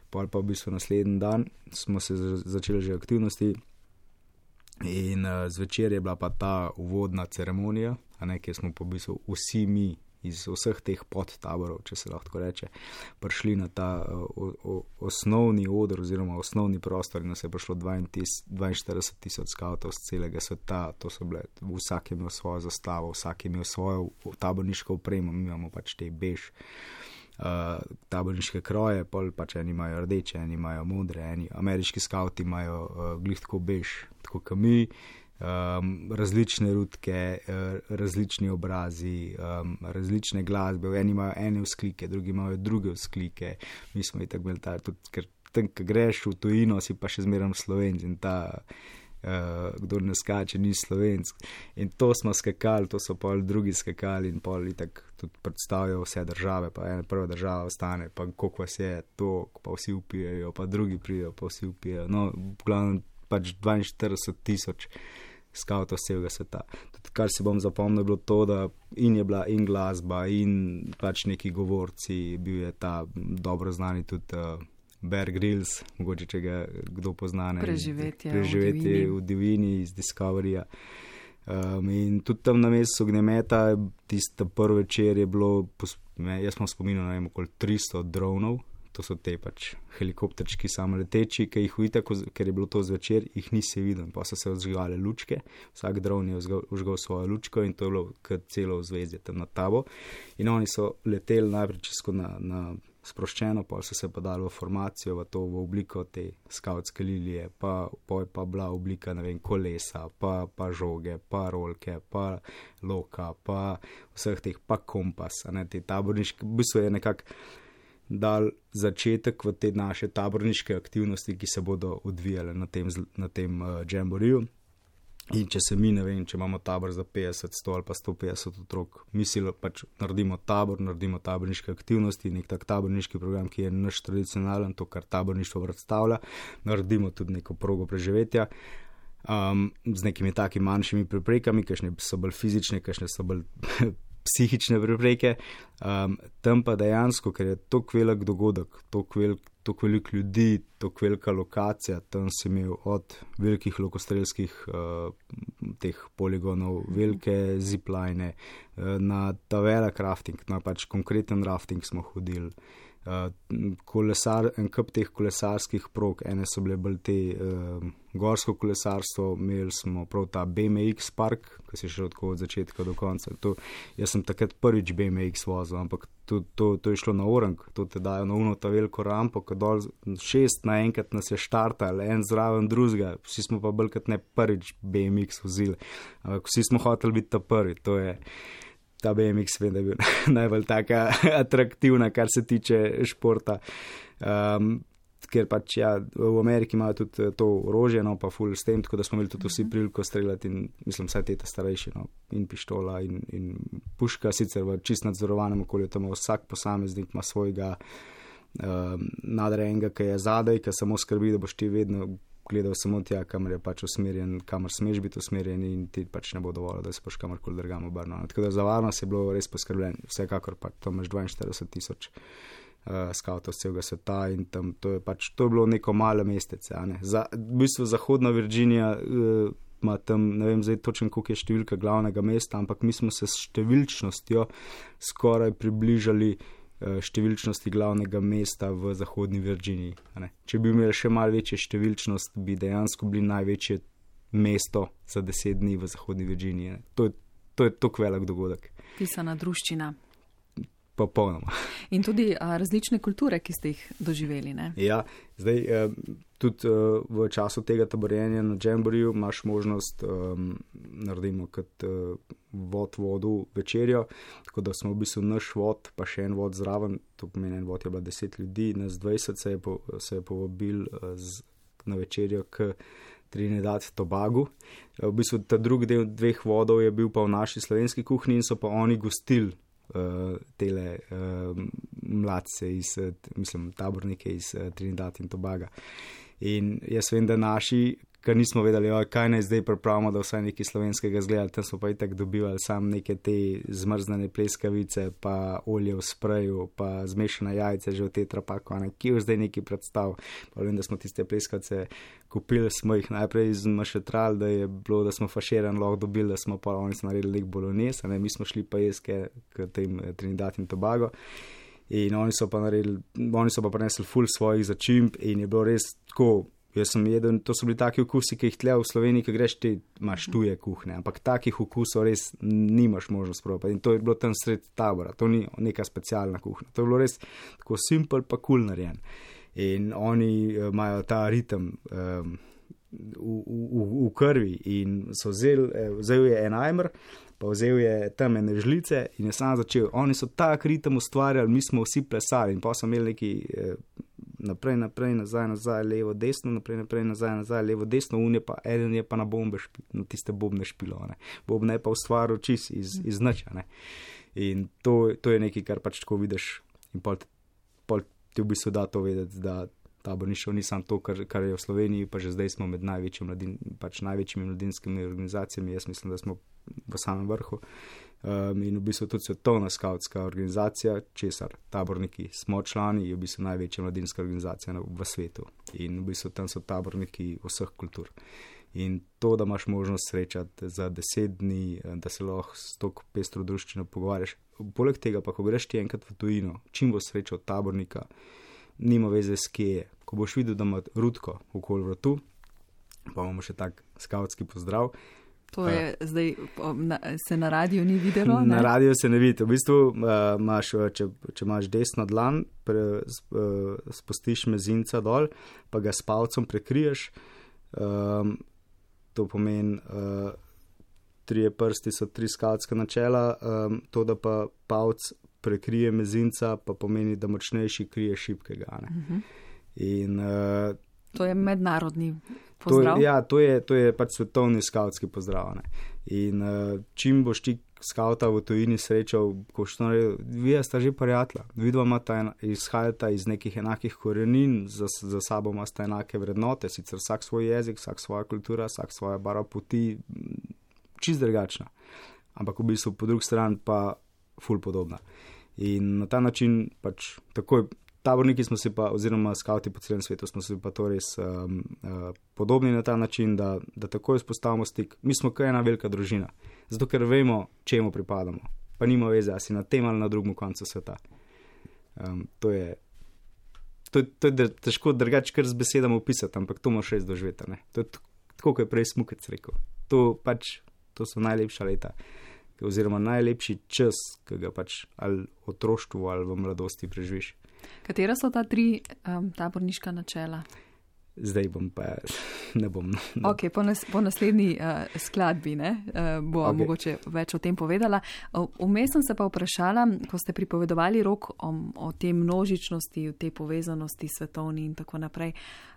Pol pa v bistvu naslednji dan smo se začeli že aktivnosti in uh, zvečer je bila pa ta uvodna ceremonija, a ne, kjer smo po v bistvu vsi mi iz vseh teh podtaborov, če se lahko reče, prišli na ta o, o, osnovni oder oziroma osnovni prostor in nas je prišlo dvainštirideset tisoč skautov z celega sveta. To so bile, vsak je imel svojo zastavo, vsak je imel svojo taborniško opremo, mi imamo pač te bež uh, taborniške kroje, pol pač eni imajo rdeče, eni imajo modre, eni ameriški skauti imajo uh, glih tako bež, tako kot mi. Um, različne rutke, uh, različni obrazi, um, različne glasbe, eni imajo ene vzklike, drugi imajo druge vzklike, mi smo i tako imeli ta, tudi ker tam, ko greš v tujino, si pa še zmeram Slovenc in ta, uh, kdor ne skače, ni Slovenc. In to smo skakali, to so pol drugi skakali in pol i tako tudi predstavljajo vse države, pa ena prva država ostane, pa koliko vas je to, pa vsi upijejo, pa drugi prijejo, pa vsi upijejo. No, v glavnem pač dvainštirideset tisoč skautov z celega sveta. Tudi kar si bom zapomnil, je bilo to, da in je bila in glasba in pač neki govorci, bil je ta dobro znani tudi uh, Bear Grylls, mogoče če ga kdo pozna, preživetje, preživetje v divjini iz Discoveryja. Um, in tudi tam na mestu ognjemeta, tista prvi večer je bilo, jaz sem spominjal, ne vem, okoli tristo dronov. To so te pač helikopterčki samoleteči, ki jih vidite, ker je bilo to zvečer, jih nisi videl. Pa so se vzžgale lučke, vsak dron je vzgal svojo lučko in to je bilo kar celo vzvezje tam na tabo. In oni so leteli najprej čisto na, na sproščeno, pa so se pa dali v formacijo, v to v obliko te skautske lilije, pa, pa je pa bila oblika, ne vem, kolesa, pa, pa žoge, pa rolke, pa loka, pa vseh teh, pa kompas, a ne, te taborniške, v bistvu je nekako dal začetek v te naše taborniške aktivnosti, ki se bodo odvijale na tem, na tem uh, jamboreeju. In če se mi, ne vem, če imamo tabor za petdeset, sto ali pa sto petdeset otrok, mislimo pač naredimo tabor, naredimo taborniške aktivnosti, nek tak taborniški program, ki je naš tradicionalen, to, kar taborništvo predstavlja, naredimo tudi neko progo preživetja, um, z nekimi takimi manjšimi preprekami, kakšne so bolj fizične, kakšne so bolj psihične prepreke, um, tam pa dejansko, ker je tok velik dogodek, tok velik, tok velik ljudi, tok velika lokacija, tam si imel od velikih lokostrelskih uh, teh poligonov, velike zipline, uh, na ta velik rafting, na pač konkreten rafting smo hodili. Uh, kolesar, en kup teh kolesarskih prog, ene so bile bolj te uh, gorsko kolesarstvo, imeli smo prav ta B M X park, ki si šel tako od začetka do konca. To, jaz sem takrat prvič B M X vozil, ampak to, to, to je šlo na orang, to te dajo na uno ta veliko rampo, ko dol šest naenkrat nas je štartal, en zraven drugega, vsi smo pa bolj kot ne prvič B M X vozili, ampak vsi smo hoteli biti ta prvi, to je ta B M X, vem, da je bil najbolj taka atraktivna, kar se tiče športa. Um, ker pač ja, v Ameriki imajo tudi to orožje, no pa full s tem, tako da smo imeli tudi vsi priliko streljati in mislim, vsaj teta starejši, no, in pištola in, in puška, sicer v čist nadzorovanem okolju, tam vsak posameznik ima svojega um, nadrejenega, ki je zadaj, ki samo skrbi, da boš ti vedno gledal samo tja, kamor je pač usmerjen, kamor smeš biti usmerjen in ti pač ne bo dovolj, da se boš kamorkoli drugam obrnil. Tako da za varnost je bilo res poskrbljen. Vsekakor pa to imaš dvainštirideset tisoč uh, skavtov z celega sveta in tam to je pač, to je bilo neko malo mestece. Ne? Za, v bistvu Zahodna Virginija uh, ima tam, ne vem zdaj točno, koliko je številka glavnega mesta, ampak mi smo se s številčnostjo skoraj približali številčnosti glavnega mesta v Zahodni Virginiji. Če bi imeli še malo večje številčnost, bi dejansko bili največje mesto za deset dni v Zahodni Virginiji. To je, to je tok velik dogodek. Pisana druščina. Popolnoma. In tudi a, različne kulture, ki ste jih doživeli, ne? Ja, zdaj eh, tudi eh, v času tega taborjenja na Jamboriju imaš možnost, eh, naredimo kot eh, vod vodu večerjo, tako da smo v bistvu naš vod, pa še en vod zraven, to pomeni en vod je bila deset ljudi, nas dvajset se je, po, se je povabil eh, z, na večerjo k Trinidad Tobagu. V bistvu ta drugi del dveh vodov je bil pa v naši slovenski kuhinji in so pa oni gostili Uh, tele uh, mladce iz, uh, mislim, tabornike iz uh, Trinidad in Tobaga. In jaz vem, da naši, ker nismo vedeli, oj, kaj naj zdaj pripravimo, da vsaj nekaj slovenskega zgleda, tam smo pa itak dobivali sam neke te zmrznene pleskavice, pa olje v spreju, pa zmešane jajce že v tetrapaku, ne, ki je zdaj neki predstav. Pa vem, da smo tiste pleskavice kupili, smo jih najprej zmašetrali, da je bilo, da smo faširan lahko dobili, da smo pa oni so naredili nek bolognese, ne, mi smo šli pa jeske k tem Trinidad in Tobago. In oni so pa naredili, oni so pa prinesli ful svojih začimb in je bilo res tako. Jaz sem jedel, to so bili taki okusi, ki jih tle v Sloveniji, ki greš, ti imaš tuje kuhne, ampak takih okusov res nimaš možnost probati. In to je bilo tam sred tabora, to ni neka specialna kuhna. To je bilo res tako simpel pa kul narejen. In oni uh, imajo ta ritem um, v, v, v krvi in so vzeli, eh, vzel je en ajmer, pa vzel je tam ene žlice in je sam začel. Oni so tak ritem ustvarjali, mi smo vsi plesali in pa so imeli neki eh, naprej, naprej, nazaj, nazaj, levo, desno, naprej, naprej, nazaj, nazaj, levo, desno, unje pa, eden je pa na bombe špil, na tiste bobne špilo, ne. Bobne je pa ustvaril čist iz, iz niča, ne. In to, to je nekaj, kar pač tako vidiš in pol, pol ti v bistvu da to vedeti, da taborništvo ni samo to, kar, kar je v Sloveniji, pa že zdaj smo med največjimi, mladin, pač največjimi mladinskimi organizacijami, jaz mislim, da smo v samem vrhu. Um, in v bistvu tudi svetovna skautska organizacija, česar taborniki smo člani, je v bistvu največja mladinska organizacija v svetu. In v bistvu tam so taborniki vseh kultur. In to, da imaš možnost srečati za deset dni, da se lahko s toko pestro druščino pogovarjaš. Poleg tega pa, ko greš ti enkrat v tujino, čim boš srečal tabornika, nima veze s kje je. Ko boš videl, da ima Rutko okoli vratu, pa imamo še tak skautski pozdrav. To je uh, zdaj, na, se na radiju ni videlo? Ne? Na radiju se ne vidi. V bistvu, uh, imaš, če, če imaš desno dlan, pre, uh, spustiš mezinca dol, pa ga s palcem prekriješ. Um, to pomeni, uh, trije prsti so tri skautska načela, um, to, da pa palc prekrije mezinca, pa pomeni, da močnejši krije šibkega. Ne? Uh-huh. In uh, To je mednarodni pozdrav. To, ja, to je, to je pač svetovni skautski pozdrav. Ne. In uh, čim boš ti skauta v tujini srečal, ko što naredil, vi sta že prijatelja, vidva imata izhajata iz nekih enakih korenin, za, za sabo imata enake vrednote, sicer vsak svoj jezik, vsak svoja kultura, vsak svoja barva poti, čist drugačna. Ampak v bistvu po drugi strani pa ful podobna. In na ta način pač takoj taborniki smo se pa, oziroma skauti po celem svetu smo se pa to res um, uh, podobni na ta način, da, da takoj spostavimo stik. Mi smo kaj ena velika družina, zato ker vemo, čemu pripadamo. Pa nima veze, a si na tem ali na drugem koncu sveta. Um, to je, to, to je težko drugače kar z besedami opisati, ampak to moraš res doživeti. Ne? To je tako, kot je prej Smukec rekel. To pač, to so najlepša leta, oziroma najlepši čas, ki ga pač ali otroštvu ali v mladosti preživiš. Katera so ta tri um, taborniška načela? Zdaj bom pa, ne bom. Ne. Ok, po, nas, po naslednji uh, skladbi ne, uh, bo okay. mogoče več o tem povedala. Vmes sem se pa vprašala, ko ste pripovedovali Rok o, o tej množičnosti, o tej povezanosti svetovni in tako naprej.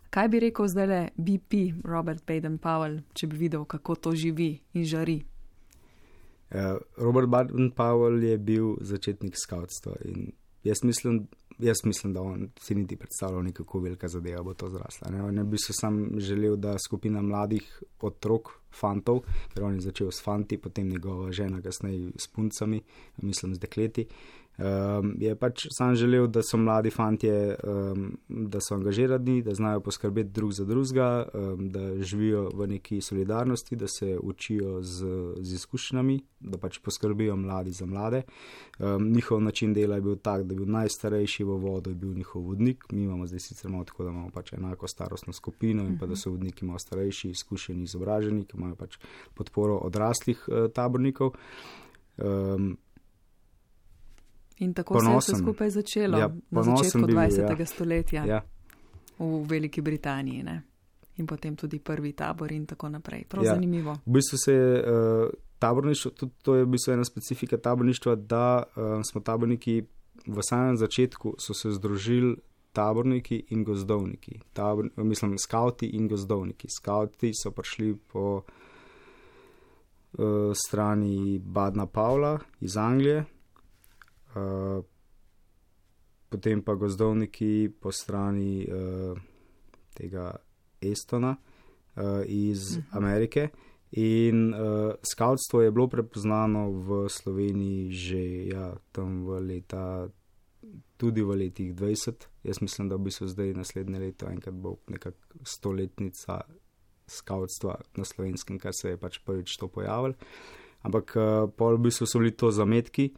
Kaj bi rekel zdajle B P, Robert Baden-Powell, če bi videl, kako to živi in žari? Uh, Robert Baden-Powell je bil začetnik skautstva in jaz mislim, jaz mislim, da on si niti predstavljal nekako velika zadeva bo to zrasla. Ne? On bi se sam želel, da skupina mladih otrok, fantov, ker on je začel s fanti, potem njegova žena kasneje s puncami, mislim z dekleti, um, je pač sam želel, da so mladi fantje, um, da so angažirani, da znajo poskrbeti drug za drugega, um, da živijo v neki solidarnosti, da se učijo z, z izkušnjami, da pač poskrbijo mladi za mlade. Um, njihov način dela je bil tak, da je bil najstarejši v vodu, je bil njihov vodnik. Mi imamo zdaj sicer malo tako, da imamo pač enako starostno skupino in pa da so vodniki malo starejši, izkušeni, izobraženi, ki imajo pač podporo odraslih uh, tabornikov. Um, in tako ponosen, se je vse skupaj začelo ja, na začetku dvajsetega ja. stoletja ja. v Veliki Britaniji, ne? In potem tudi prvi tabor in tako naprej. Prav ja. zanimivo. V bistvu se je uh, taborništvo, tudi to je v bistvu ena specifika taborništva, da uh, smo taborniki v samem začetku so se združili taborniki in gozdovniki. Tabor, mislim, skauti in gozdovniki. Skauti so prišli po uh, strani Baden-Powella iz Anglije, uh, potem pa gozdovniki po strani uh, tega Estona uh, iz uh-huh. Amerike. In uh, skautstvo je bilo prepoznano v Sloveniji že ja, tam v leta, tudi v letih dvajset. Jaz mislim, da v bistvu zdaj naslednje leto enkrat bo nekak stoletnica skautstva na Slovenskem, kar se je pač prvič to pojavilo. Ampak uh, pol v bistvu so bili to zametki,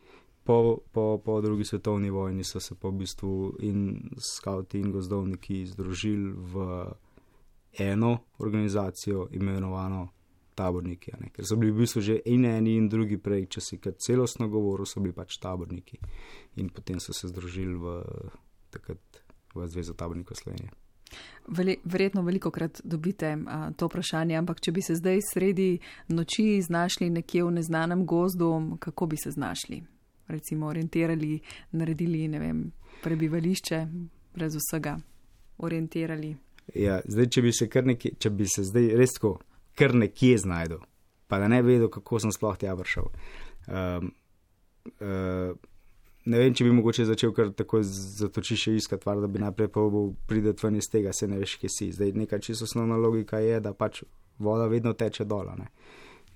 po, po, po drugi svetovni vojni so se pa v bistvu in skauti in gozdovniki združili v eno organizacijo imenovano taborniki, ne? Ker so bili v bistvu že in eni in drugi prej, če si kar celostno govoril, so bili pač taborniki in potem so se združili v, takrat, v Zvezo tabornikov Slovenije. Veli, verjetno veliko krat dobite a, to vprašanje, ampak če bi se zdaj sredi noči znašli nekje v neznanem gozdu, kako bi se znašli? Recimo orientirali, naredili, ne vem, prebivališče, brez vsega orientirali. Ja, zdaj, če bi se kar nekje, če bi se zdaj res tako kar nekje znajdu, pa da ne vedel, kako sem sploh tja prišel. Um, uh, ne vem, če bi mogoče začel kar tako zatočiše iskati var, da bi najprej probal prideti ven iz tega, se ne veš, kje si. Zdaj neka čisto osnovna logika je, da pač voda vedno teče dol, ne.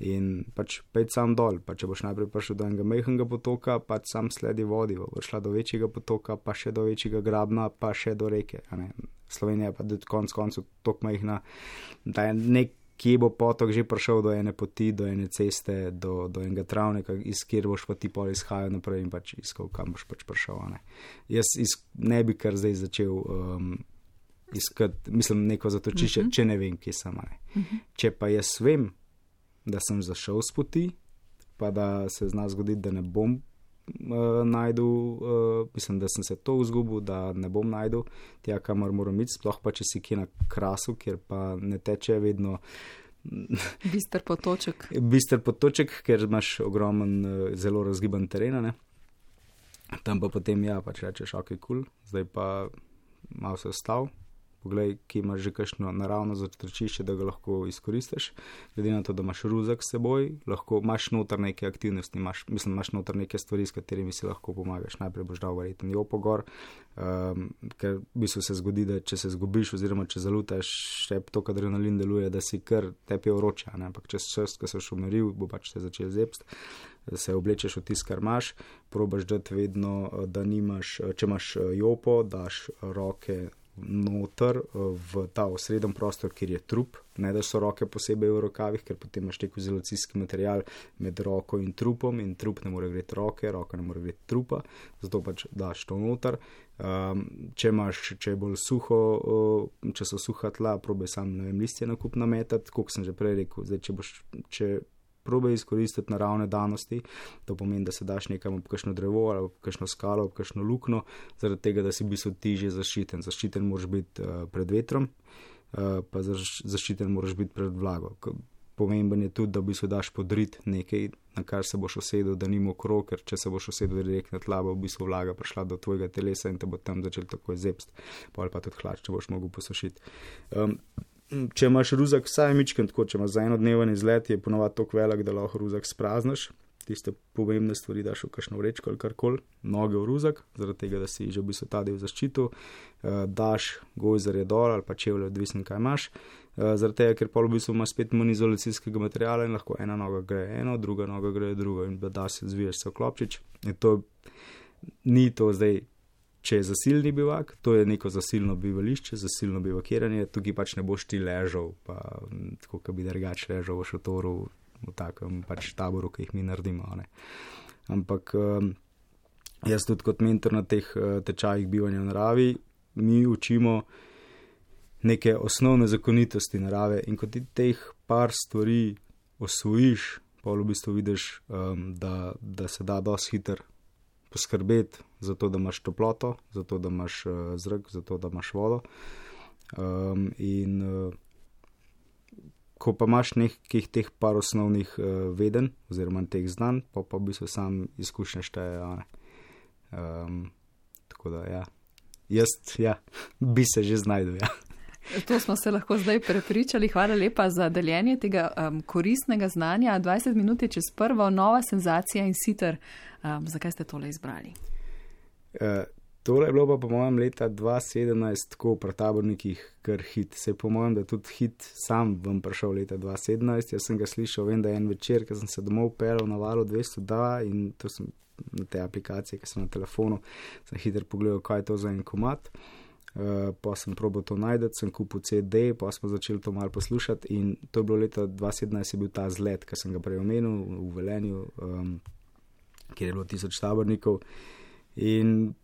In pač pejt sam dol, pa če boš najprej prišel do enega majhnega potoka, pač sam sledi vodi, bo šla do večjega potoka, pa še do večjega grabna, pa še do reke, a ne. Slovenija pa do konc koncu tok majhna, da je nek kje bo potok že prišel do ene poti, do ene ceste, do, do enega travnika, iz kjer boš pa ti pol izhajal naprej in pač iskal, kam boš pač prišel. Ne. Jaz iz, ne bi kar zdaj začel um, iskati, mislim, neko zatočišče, uh-huh. če ne vem, kje sem. Ne. Uh-huh. Če pa jaz vem, da sem zašel s poti, pa da se zna zgoditi, da ne bom uh, najdu, uh, mislim, da sem se to vzgubil, da ne bom najdu tja, kamor moram iti, sploh pa če si kje na krasu, kjer pa ne teče vedno bister potoček. Bister potoček, ker imaš ogromen, zelo razgiban teren, ne. Tam pa potem, ja, pač rečeš, ok, cool, zdaj pa malo se ostal, poglej, ki imaš že kakšno naravno zatočišče, da ga lahko izkoristiš. Glede na to, da imaš ruzak s seboj, lahko imaš noter neke aktivnosti, imaš, mislim, imaš noter neke stvari, s katerimi si lahko pomagaš. Najprej boš dal verjetno jopo gor, um, ker v bistvu se zgodi, da če se zgubiš oziroma če zalutaš, še to, kad adrenalin deluje, da si kar tepi vroče, ampak čez čas, ko se boš umiril, bo pač te začel zebst. Se oblečeš v tisto, kar imaš, probaš dati vedno, da nimaš, če imaš jopo, daš roke noter v ta osreden prostor, kjer je trup, ne da so roke posebej v rokavih, ker potem imaš tek izolacijski material med roko in trupom in trup ne more greti roke, roka ne more greti trupa, zato pač daš to noter. Um, če imaš, če je bolj suho, uh, če so suha tla, probaj sam, ne vem, listje nakup nametati, koliko sem že prej rekel, zdaj, če boš, če probaj izkoristiti naravne danosti, to pomeni, da se daš nekam ob kakšno drevo ali ob kakšno skalo, ob kakšno lukno, zaradi tega, da si v bistvu ti že zaščiten. Zaščiten moraš biti uh, pred vetrom, uh, pa zaščiten moraš biti pred vlago. Pomemben je tudi, da v bistvu daš podrit nekaj, na kar se boš usedel, da ni mokro, ker če se boš usedel direkt na tla, bo v bistvu vlaga prišla do tvojega telesa in te bo tam začel takoj zebst, pa ali pa tudi hlač, če boš mogel posušiti. Um, Če imaš ruzak vsaj mičken, tako če imaš za enodneven izlet, je ponovadi toliko velik, da lahko ruzak spraznaš. Tiste pomembne stvari daš v kakšno vrečko ali karkoli, noge v ruzak, zaradi tega, da si že v bistvu ta del zaščitil, uh, daš gojzarje dol ali pa čevlje, odvisno kaj imaš, uh, zaradi tega, ker pa v bistvu imaš spet manj izolacijskega materiala in lahko ena noga gre eno, druga noga gre drugo in da se zviješ se v klopčič. In to ni to zdaj, če je zasilni bivak, to je neko zasilno bivališče, zasilno bivakiranje, tukaj pač ne boš ti ležal, pa tako, kot bi drugač ležal v šotoru, v takem pač taboru, ki jih mi naredimo. Ne. Ampak um, jaz tudi kot mentor na teh uh, tečajih bivanja v naravi, mi učimo neke osnovne zakonitosti narave in kot ti teh par stvari osvojiš, pa v bistvu vidiš, um, da, da se da dosti hiter poskrbeti za to, da imaš toploto, za to, da imaš uh, zrak, za to, da imaš vodo. Um, in uh, ko pa imaš nekih teh par osnovnih uh, veden, oziroma teh znanj, pa pa v bistvu sam izkušnje šteje. Um, tako da, ja, jaz, ja, bi se že znajdel, ja. To smo se lahko zdaj prepričali. Hvala lepa za deljenje tega um, koristnega znanja. dvajset minut je čez prvo, nova senzacija in Sitter. Um, zakaj ste tole izbrali? Uh, tole je bilo pa po mojem leta dva tisoč sedemnajst tako pri tabornikih kar hit. Se po mojem, da tudi hit sam vam prišel leta dva tisoč sedemnajst. Jaz sem ga slišal, vem, da je en večer, ko sem se domov pelal na valu dvesto dva in to sem na te aplikacije, ki sem na telefonu, sem hiter pogledal, kaj je to za en komad. Uh, pa sem probal to najdeti, sem kupil C D, pa smo začeli to malo poslušati in to je bilo leta dva tisoč sedemnajst, je bil ta zlet, ki sem ga prej omenil v Velenju, um, kjer je bilo tisoč tabornikov in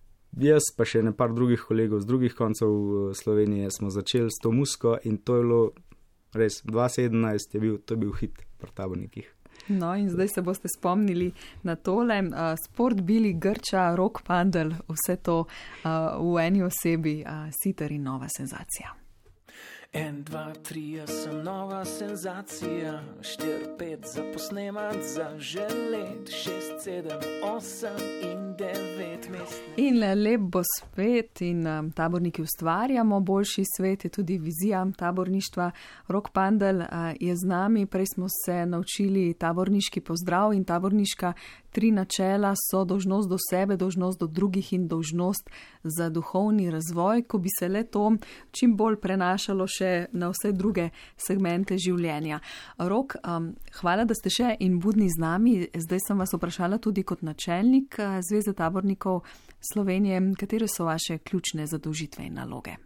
jaz pa še ne par drugih kolegov z drugih koncev Slovenije smo začeli s to muziko in to je bilo res, dva tisoč sedemnajst je bil, to je bil hit pri tabornikih. No in zdaj se boste spomnili na tole, uh, Sport Bili, Grča, Rock Pandel, vse to uh, v eni osebi, uh, Sitter in nova senzacija. En, dva, tri, jaz sem nova senzacija, štir, pet za posnemat, za želet, šest, sedem, osem in devet mest. In lep bo svet in um, taborniki ustvarjamo, boljši svet je tudi vizija taborništva. Rock Pandel uh, je z nami, prej smo se naučili taborniški pozdrav in taborniška tri načela so dolžnost do sebe, dolžnost do drugih in dolžnost za duhovni razvoj, ko bi se le to čim bolj prenašalo še na vse druge segmente življenja. Rok, um, hvala, da ste še in budni z nami. Zdaj sem vas vprašala tudi kot načelnik Zveze tabornikov Slovenije, katere so vaše ključne zadolžitve in naloge?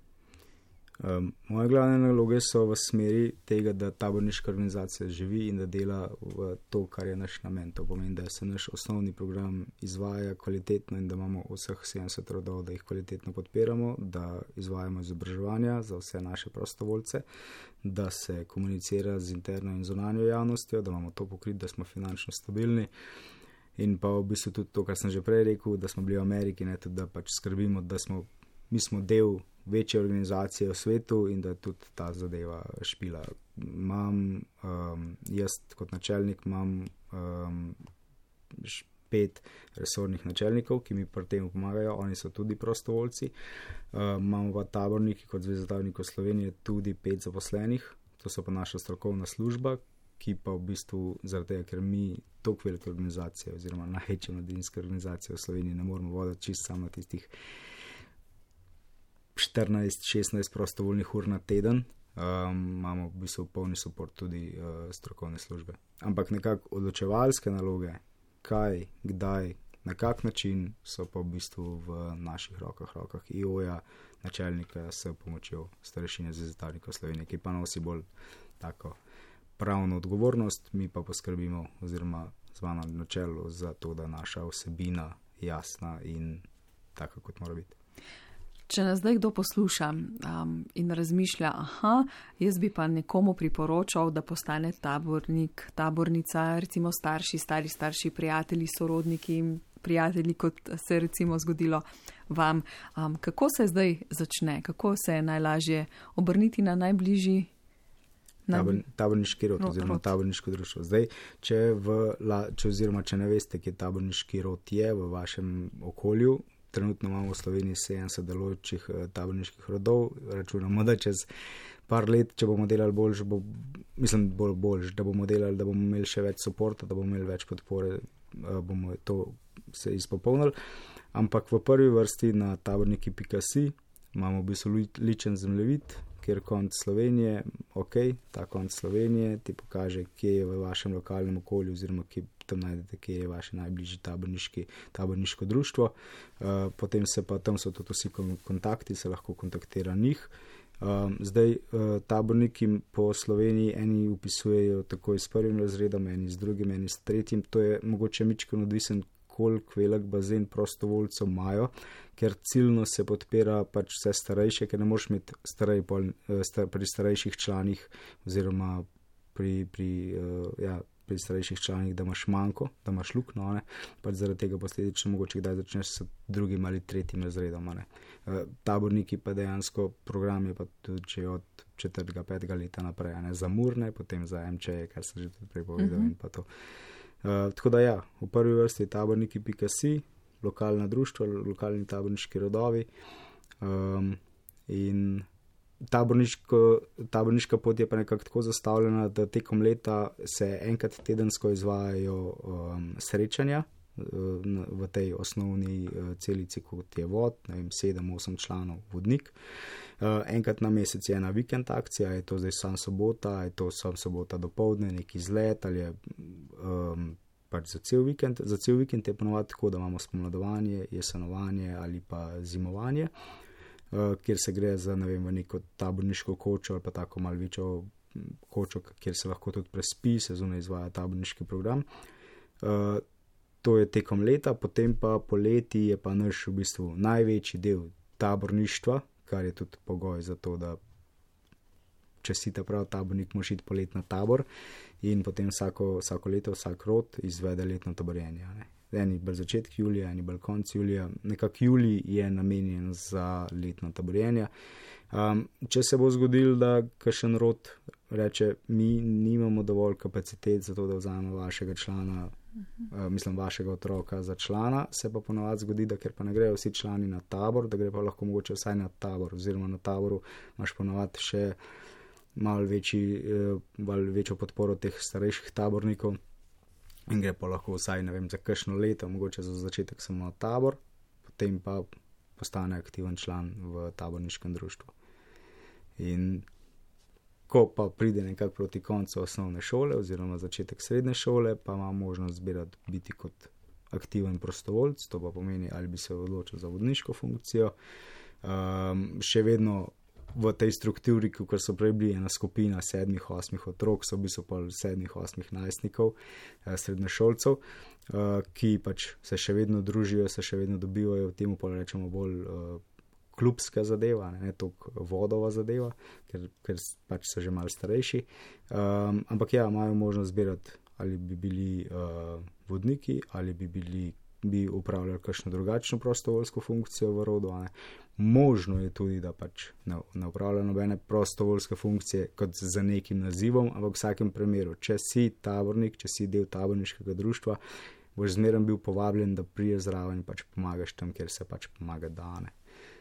Um, moje glavne naloge so v smeri tega, da taborniška organizacija živi in da dela v to, kar je naš namen. To pomeni, da se naš osnovni program izvaja kvalitetno in da imamo vseh sedemdeset rodov, da jih kvalitetno podpiramo, da izvajamo izobraževanja za vse naše prostovoljce, da se komunicira z interno in zunanjo javnostjo, da imamo to pokrit, da smo finančno stabilni. In pa v bistvu tudi to, kar sem že prej rekel, da smo bili v Ameriki, ne, tudi da pač skrbimo, da smo, mi smo del večje organizacije v svetu in da tudi ta zadeva špila. Imam, um, jaz kot načelnik imam um, pet resornih načelnikov, ki mi pri tem pomagajo, oni so tudi prostovoljci. Uh, imamo pa taborniki kot Zveza tabornikov Slovenije tudi pet zaposlenih, to so pa naša strokovna služba, ki pa v bistvu zaradi tega, ker mi toliko velike organizacije oziroma največje mladinske organizacije v Sloveniji ne moramo voditi čisto samo tistih štirinajst šestnajst prostovoljnih ur na teden, um, imamo v bistvu polni suport tudi uh, strokovne službe. Ampak nekako odločevalske naloge, kaj, kdaj, na kak način so pa v bistvu v naših rokah, rokah I O-ja, načelnika s pomočjo starešine Zveze tabornikov Slovenije, ki pa nosi bolj tako pravno odgovornost, mi pa poskrbimo oziroma zvano na čelu za to, da naša vsebina jasna in taka, kot mora biti. Če nas zdaj kdo posluša um, in razmišlja, aha, jaz bi pa nekomu priporočal, da postane tabornik, tabornica, recimo starši, stari starši, prijatelji, sorodniki, prijatelji, kot se recimo zgodilo vam. Um, kako se zdaj začne? Kako se je najlažje obrniti na najbližji Tabor, taborniški rod oziroma rod. Taborniško društvo. Zdaj, če, v, če, oziroma, če ne veste, kje taborniški rod je v vašem okolju, trenutno imamo v Sloveniji sedemdeset delujočih taborniških rodov, računamo, da čez par let, če bomo delali boljš, bo, mislim bolj boljš, da bomo delali, da bomo imeli še več suporta, da bomo imeli več podpore, bomo to se izpopolnili. Ampak v prvi vrsti na taborniki pika si imamo v bistvu ličen zemljevid, kjer konc Slovenije, ok, ta konc Slovenije ti pokaže, kje je v vašem lokalnem okolju oziroma kje tam najdete, kje je vaše najbližje taborniški, taborniško društvo. Uh, potem se pa tam so tudi vsi kontakti, se lahko kontaktira njih. Um, zdaj uh, taborniki po Sloveniji eni upisujejo takoj s prvim razredom, eni s drugim, eni s tretjim. To je mogoče mičkeno odvisen, koliko velik bazen prostovoljcev imajo, ker ciljno se podpira pač vse starejše, ker ne moreš imeti starej, pol, star, pri starejših članih oziroma pri, pri, uh, ja, pri starejših članih, da imaš manjko, da imaš luknjo, ne, pač zaradi tega posledično mogoče kdaj začneš s drugim ali tretjim razredom, ne. Uh, taborniki pa dejansko program je pa tudi že od četrtega, petega leta naprej, ne, za Murne, potem za M Č, kar sem že tudi prepovedal uh-huh. in pa to. Uh, tako da ja, v prvi vrsti taborniki pika si, lokalna društva, lokalni taborniški rodovi um, in taborniška pot je pa nekako tako zastavljena, da tekom leta se enkrat tedensko izvajajo um, srečanja uh, v tej osnovni uh, celici, kot je vod, ne vem, sedem, osem članov vodnik. Uh, enkrat na mesec je ena vikend akcija, je to zdaj sam sobota, je to sam sobota dopoldne, neki izlet ali je um, pač za cel vikend. Za cel vikend je ponovadi tako, da imamo spomladovanje, jesenovanje ali pa zimovanje, uh, kjer se gre za, ne vem, v neko taborniško kočo ali pa tako malo večjo kočo, kjer se lahko tudi prespi, se zunaj izvaja taborniški program. Uh, to je tekom leta, potem pa poleti je pa naš v bistvu največji del taborništva, kar je tudi pogoj za to, da če si ta prav tabornik, moraš iti polet na tabor in potem vsako, vsako leto, vsak rod izvede letno taborjenje. Ne. Eni bolj začetek julija, eni bolj konc julija. Nekak julij je namenjen za letno taborjenje. Um, če se bo zgodil, da kakšen rod reče, mi nimamo dovolj kapacitet za to, da vzamemo vašega člana, uh, mislim vašega otroka za člana, se pa ponovadi zgodi, da ker pa ne grejo vsi člani na tabor, da gre pa lahko mogoče vsaj na tabor, oziroma na taboru imaš ponovadi še malo večji, malo večjo podporo teh starejših tabornikov in gre pa lahko vsaj, ne vem, za kakšno leto, mogoče za začetek samo na tabor, potem pa postane aktiven član v taborniškem društvu. In ko pa pride nekako proti koncu osnovne šole oziroma začetek srednje šole, pa ima možnost zbirati biti kot aktiven prostovoljc, to pa pomeni, ali bi se odločil za vodniško funkcijo. Um, še vedno v tej strukturi, kot so prej bili ena skupina sedmih, osmih otrok, so v bistvu pa sedmih, osmih najstnikov, srednješolcev, ki pač se še vedno družijo, se še vedno dobivajo, temu pa rečemo bolj klubska zadeva, ne, ne toliko vodova zadeva, ker, ker pač so že malo starejši. Um, ampak ja, imajo možnost zbirati, ali bi bili uh, vodniki, ali bi bili bi upravljali kakšno drugačno prostovoljsko funkcijo v rodu. Ne. Možno je tudi, da pač ne, ne upravlja nobene prostovoljske funkcije kot za nekim nazivom, ampak v vsakem primeru, če si tabornik, če si del taborniškega društva, boš zmeraj bil povabljen, da priješ zraven in pač pomagaš tam, kjer se pač pomaga dane.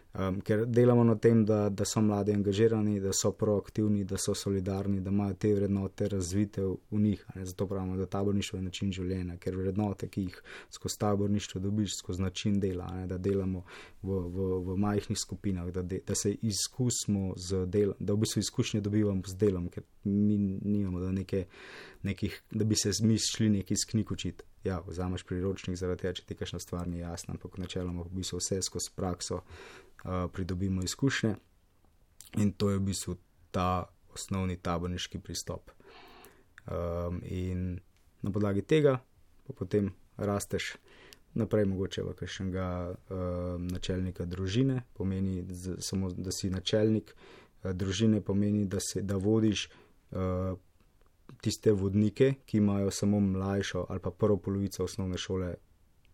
Um, ker delamo na tem, da, da so mladi angažirani, da so proaktivni, da so solidarni, da imajo te vrednote razvite v, v njih. Ne? Zato pravimo, da taborništvo je način življenja, ker vrednote, ki jih skozi taborništvo dobiš, skozi način dela, ne? Da delamo v, v, v majhnih skupinah, da, de, da se izkusimo z delom, da v bistvu izkušnje dobivamo z delom, ker mi nimamo, da, neke, nekih, da bi se mi šli nekaj iz knjig učiti. Ja, vzameš priročnik zaradi tega, če ti kakšna stvar ni jasna, ampak načeloma v bistvu vse skozi prakso Uh, pridobimo izkušnje in to je v bistvu ta osnovni taborniški pristop. Um, in na podlagi tega pa potem rasteš naprej mogoče v kakšnega uh, načelnika družine, pomeni z, samo, da si načelnik uh, družine, pomeni, da, se, da vodiš uh, tiste vodnike, ki imajo samo mlajšo ali pa prvo polovico osnovne šole,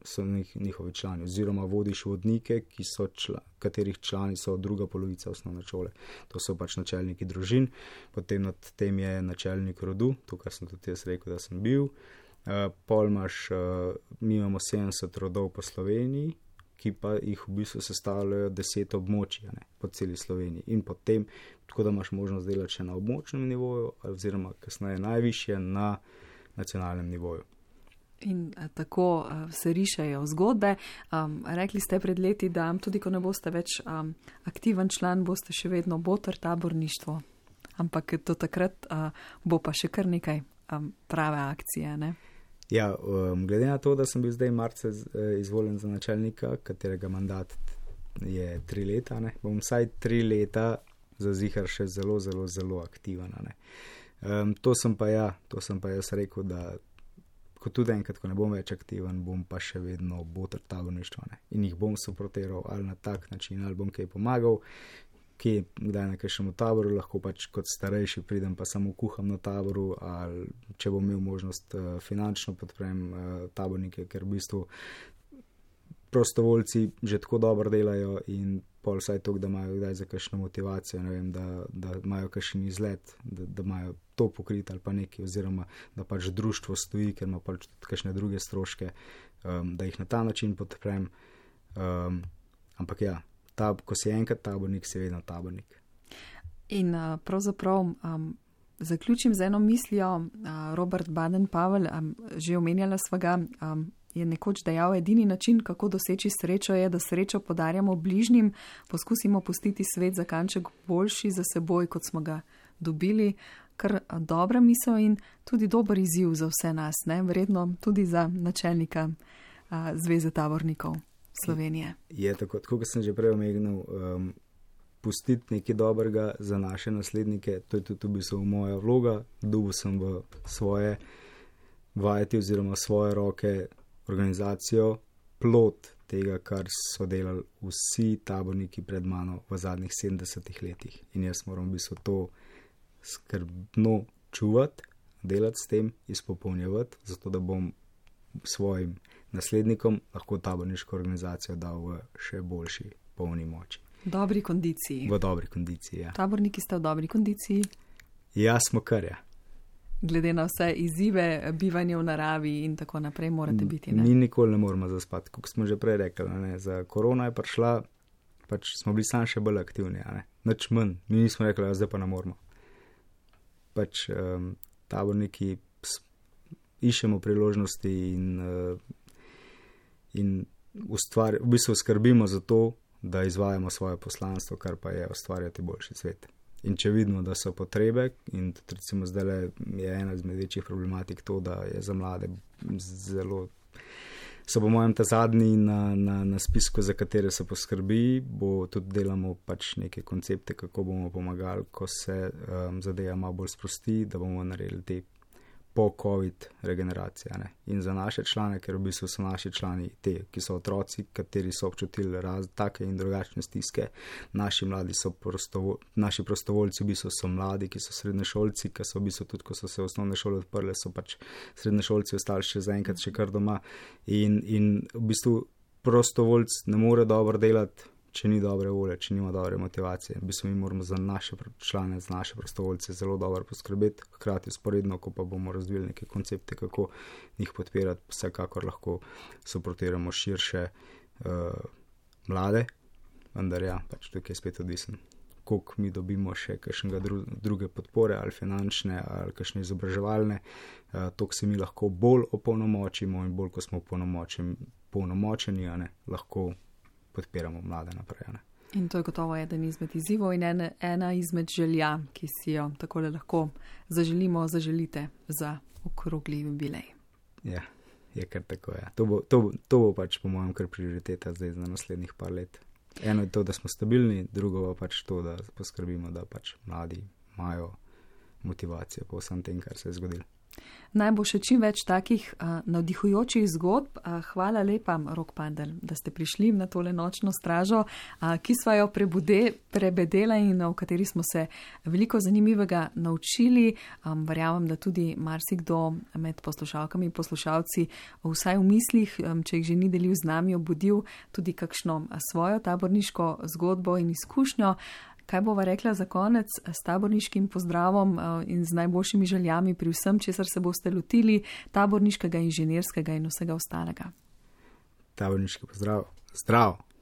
so njihovi člani, oziroma vodiš vodnike, ki so čla, katerih člani so druga polovica osnovne šole. To so pač načelniki družin, potem nad tem je načelnik rodu, tukaj sem tudi jaz rekel, da sem bil. Uh, pol imaš, uh, mi imamo sedemdeset rodov po Sloveniji, ki pa jih v bistvu sestavljajo deset območij, ne, po celi Sloveniji. In potem, tako da imaš možnost delati še na območnem nivoju, oziroma kasneje najvišje na nacionalnem nivoju. In a, tako a, se rišejo zgodbe. Um, rekli ste pred leti, da tudi ko ne boste več um, aktiven član, boste še vedno boter taborništvo. Ampak do takrat a, bo pa še kar nekaj um, prave akcije, ne? Ja, um, glede na to, da sem bil zdaj marca izvoljen za načelnika, katerega mandat je tri leta, ne, bom vsaj tri leta za zihar še zelo, zelo, zelo aktiven. Ne. Um, to sem pa ja, to sem pa jaz rekel, da ko tudi enkrat, ko ne bom več aktiven, bom pa še vedno boter taborništva, ne. In jih bom suportiral ali na tak način, ali bom kaj pomagal, kje, kdaj na kakšnemu taboru, lahko pač kot starejši pridem pa samo kuham na taboru, ali če bom imel možnost uh, finančno podprem uh, tabornike, ker v bistvu prostovoljci že tako dobro delajo in pol vsaj to, da imajo kdaj za kakšno motivacijo, ne vem, da, da imajo kakšen izlet, da, da imajo to pokrit ali pa nekaj, oziroma da pač društvo stoji, ker ima pač tudi kakšne druge stroške, um, da jih na ta način podprem. Um, ampak ja, ta, ko si enkrat tabornik, si vedno tabornik. In uh, pravzaprav um, zaključim z eno mislijo, uh, Robert Baden-Powell, um, že omenjala sva ga, um, je nekoč dejal, edini način, kako doseči srečo, je, da srečo podarjamo bližnjim, poskusimo pustiti svet za kanček boljši za seboj, kot smo ga dobili. Kar dobra misel in tudi dober izziv za vse nas, ne? Verjetno tudi za načelnika a, Zveze tabornikov Slovenije. Je tako, tako kot sem že prej omenil, um, pustiti nekaj dobrega za naše naslednike, to je tudi v bistvu moja vloga, dobil sem v svoje vajeti oziroma svoje roke organizacijo, plod tega, kar so delali vsi taborniki pred mano v zadnjih sedemdesetih letih. In jaz moram v bistvu to skrbno čuvati, delati s tem, izpopolnjevati, zato da bom svojim naslednikom lahko taborniško organizacijo dal v še boljši polni moči. V dobri kondiciji. V dobri kondiciji, ja. Taborniki ste v dobri kondiciji? Ja, smo kar, ja. Glede na vse izzive, bivanje v naravi in tako naprej morate biti, ne? Mi nikoli ne moramo zaspati, kot smo že prej rekli, ne? Za korona je prišla, pač smo bili sam še bolj aktivni, ne? Nič manj, mi nismo rekli, da zdaj pa ne moramo. Pač um, taborniki iščemo priložnosti in, uh, in ustvar, v bistvu skrbimo za to, da izvajamo svoje poslanstvo, kar pa je ustvarjati boljši svet. In če vidimo, da so potrebe, in tudi recimo zdaj je ena izmed večjih problematik to, da je za mlade zelo, so po mojem ta zadnji na, na, na spisku, za katere se poskrbi, bo tudi delamo pač neke koncepte, kako bomo pomagali, ko se um, zadeva malo bolj sprosti, da bomo naredili te po-covid regeneracije. Ne? In za naše člane, ker v bistvu so naši člani te, ki so otroci, kateri so občutili raz, take in drugačne stiske. Naši mladi so prostovo, naši prostovoljci v bistvu so mladi, ki so srednješolci, ki so v bistvu tudi, ko so se osnovne šole odprle, so pač srednješolci ostali še zaenkrat še kar doma. In, in v bistvu prostovoljc ne more dobro delati, če ni dobre volje, če nima dobre motivacije, v bistvu mi moramo za naše člane, za naše prostovoljce zelo dobro poskrbeti, hkrati sporedno, ko pa bomo razvili neke koncepte, kako njih podpirati, vsekakor lahko suportiramo širše uh, mlade, vendar ja, pač tukaj je spet odvisen, koliko mi dobimo še kakšnega dru, druge podpore, ali finančne, ali kakšne izobraževalne, uh, toliko se mi lahko bolj opolnomočimo in bolj, ko smo polnomočeni, a ne, lahko podpiramo mlade naprej. Ne. In to je gotovo eden izmed izzivov in ena, ena izmed želja, ki si jo takole lahko zaželimo, zaželite za okrogli jubilej. Ja, je kar tako, ja. To bo, to, to bo pač po mojem kar prioriteta zdaj za naslednjih par let. Eno je to, da smo stabilni, drugo pa pač to, da poskrbimo, da pač mladi imajo motivacijo po vsem tem, kar se je zgodilo. Naj bo še čim več takih uh, navdihujočih zgodb. Uh, hvala lepa, Rok Pandl, da ste prišli na tole nočno stražo, uh, ki sva jo prebude, prebedela in v kateri smo se veliko zanimivega naučili. Um, verjamem, da tudi marsikdo med poslušalkami in poslušalci vsaj v mislih, um, če jih že ni delil z nami, obudil tudi kakšno svojo taborniško zgodbo in izkušnjo. Kaj bova rekla za konec s taborniškim pozdravom in z najboljšimi željami pri vsem, česar se boste lotili, taborniškega, inženirskega in vsega ostalega? Taborniški pozdrav. Zdrav!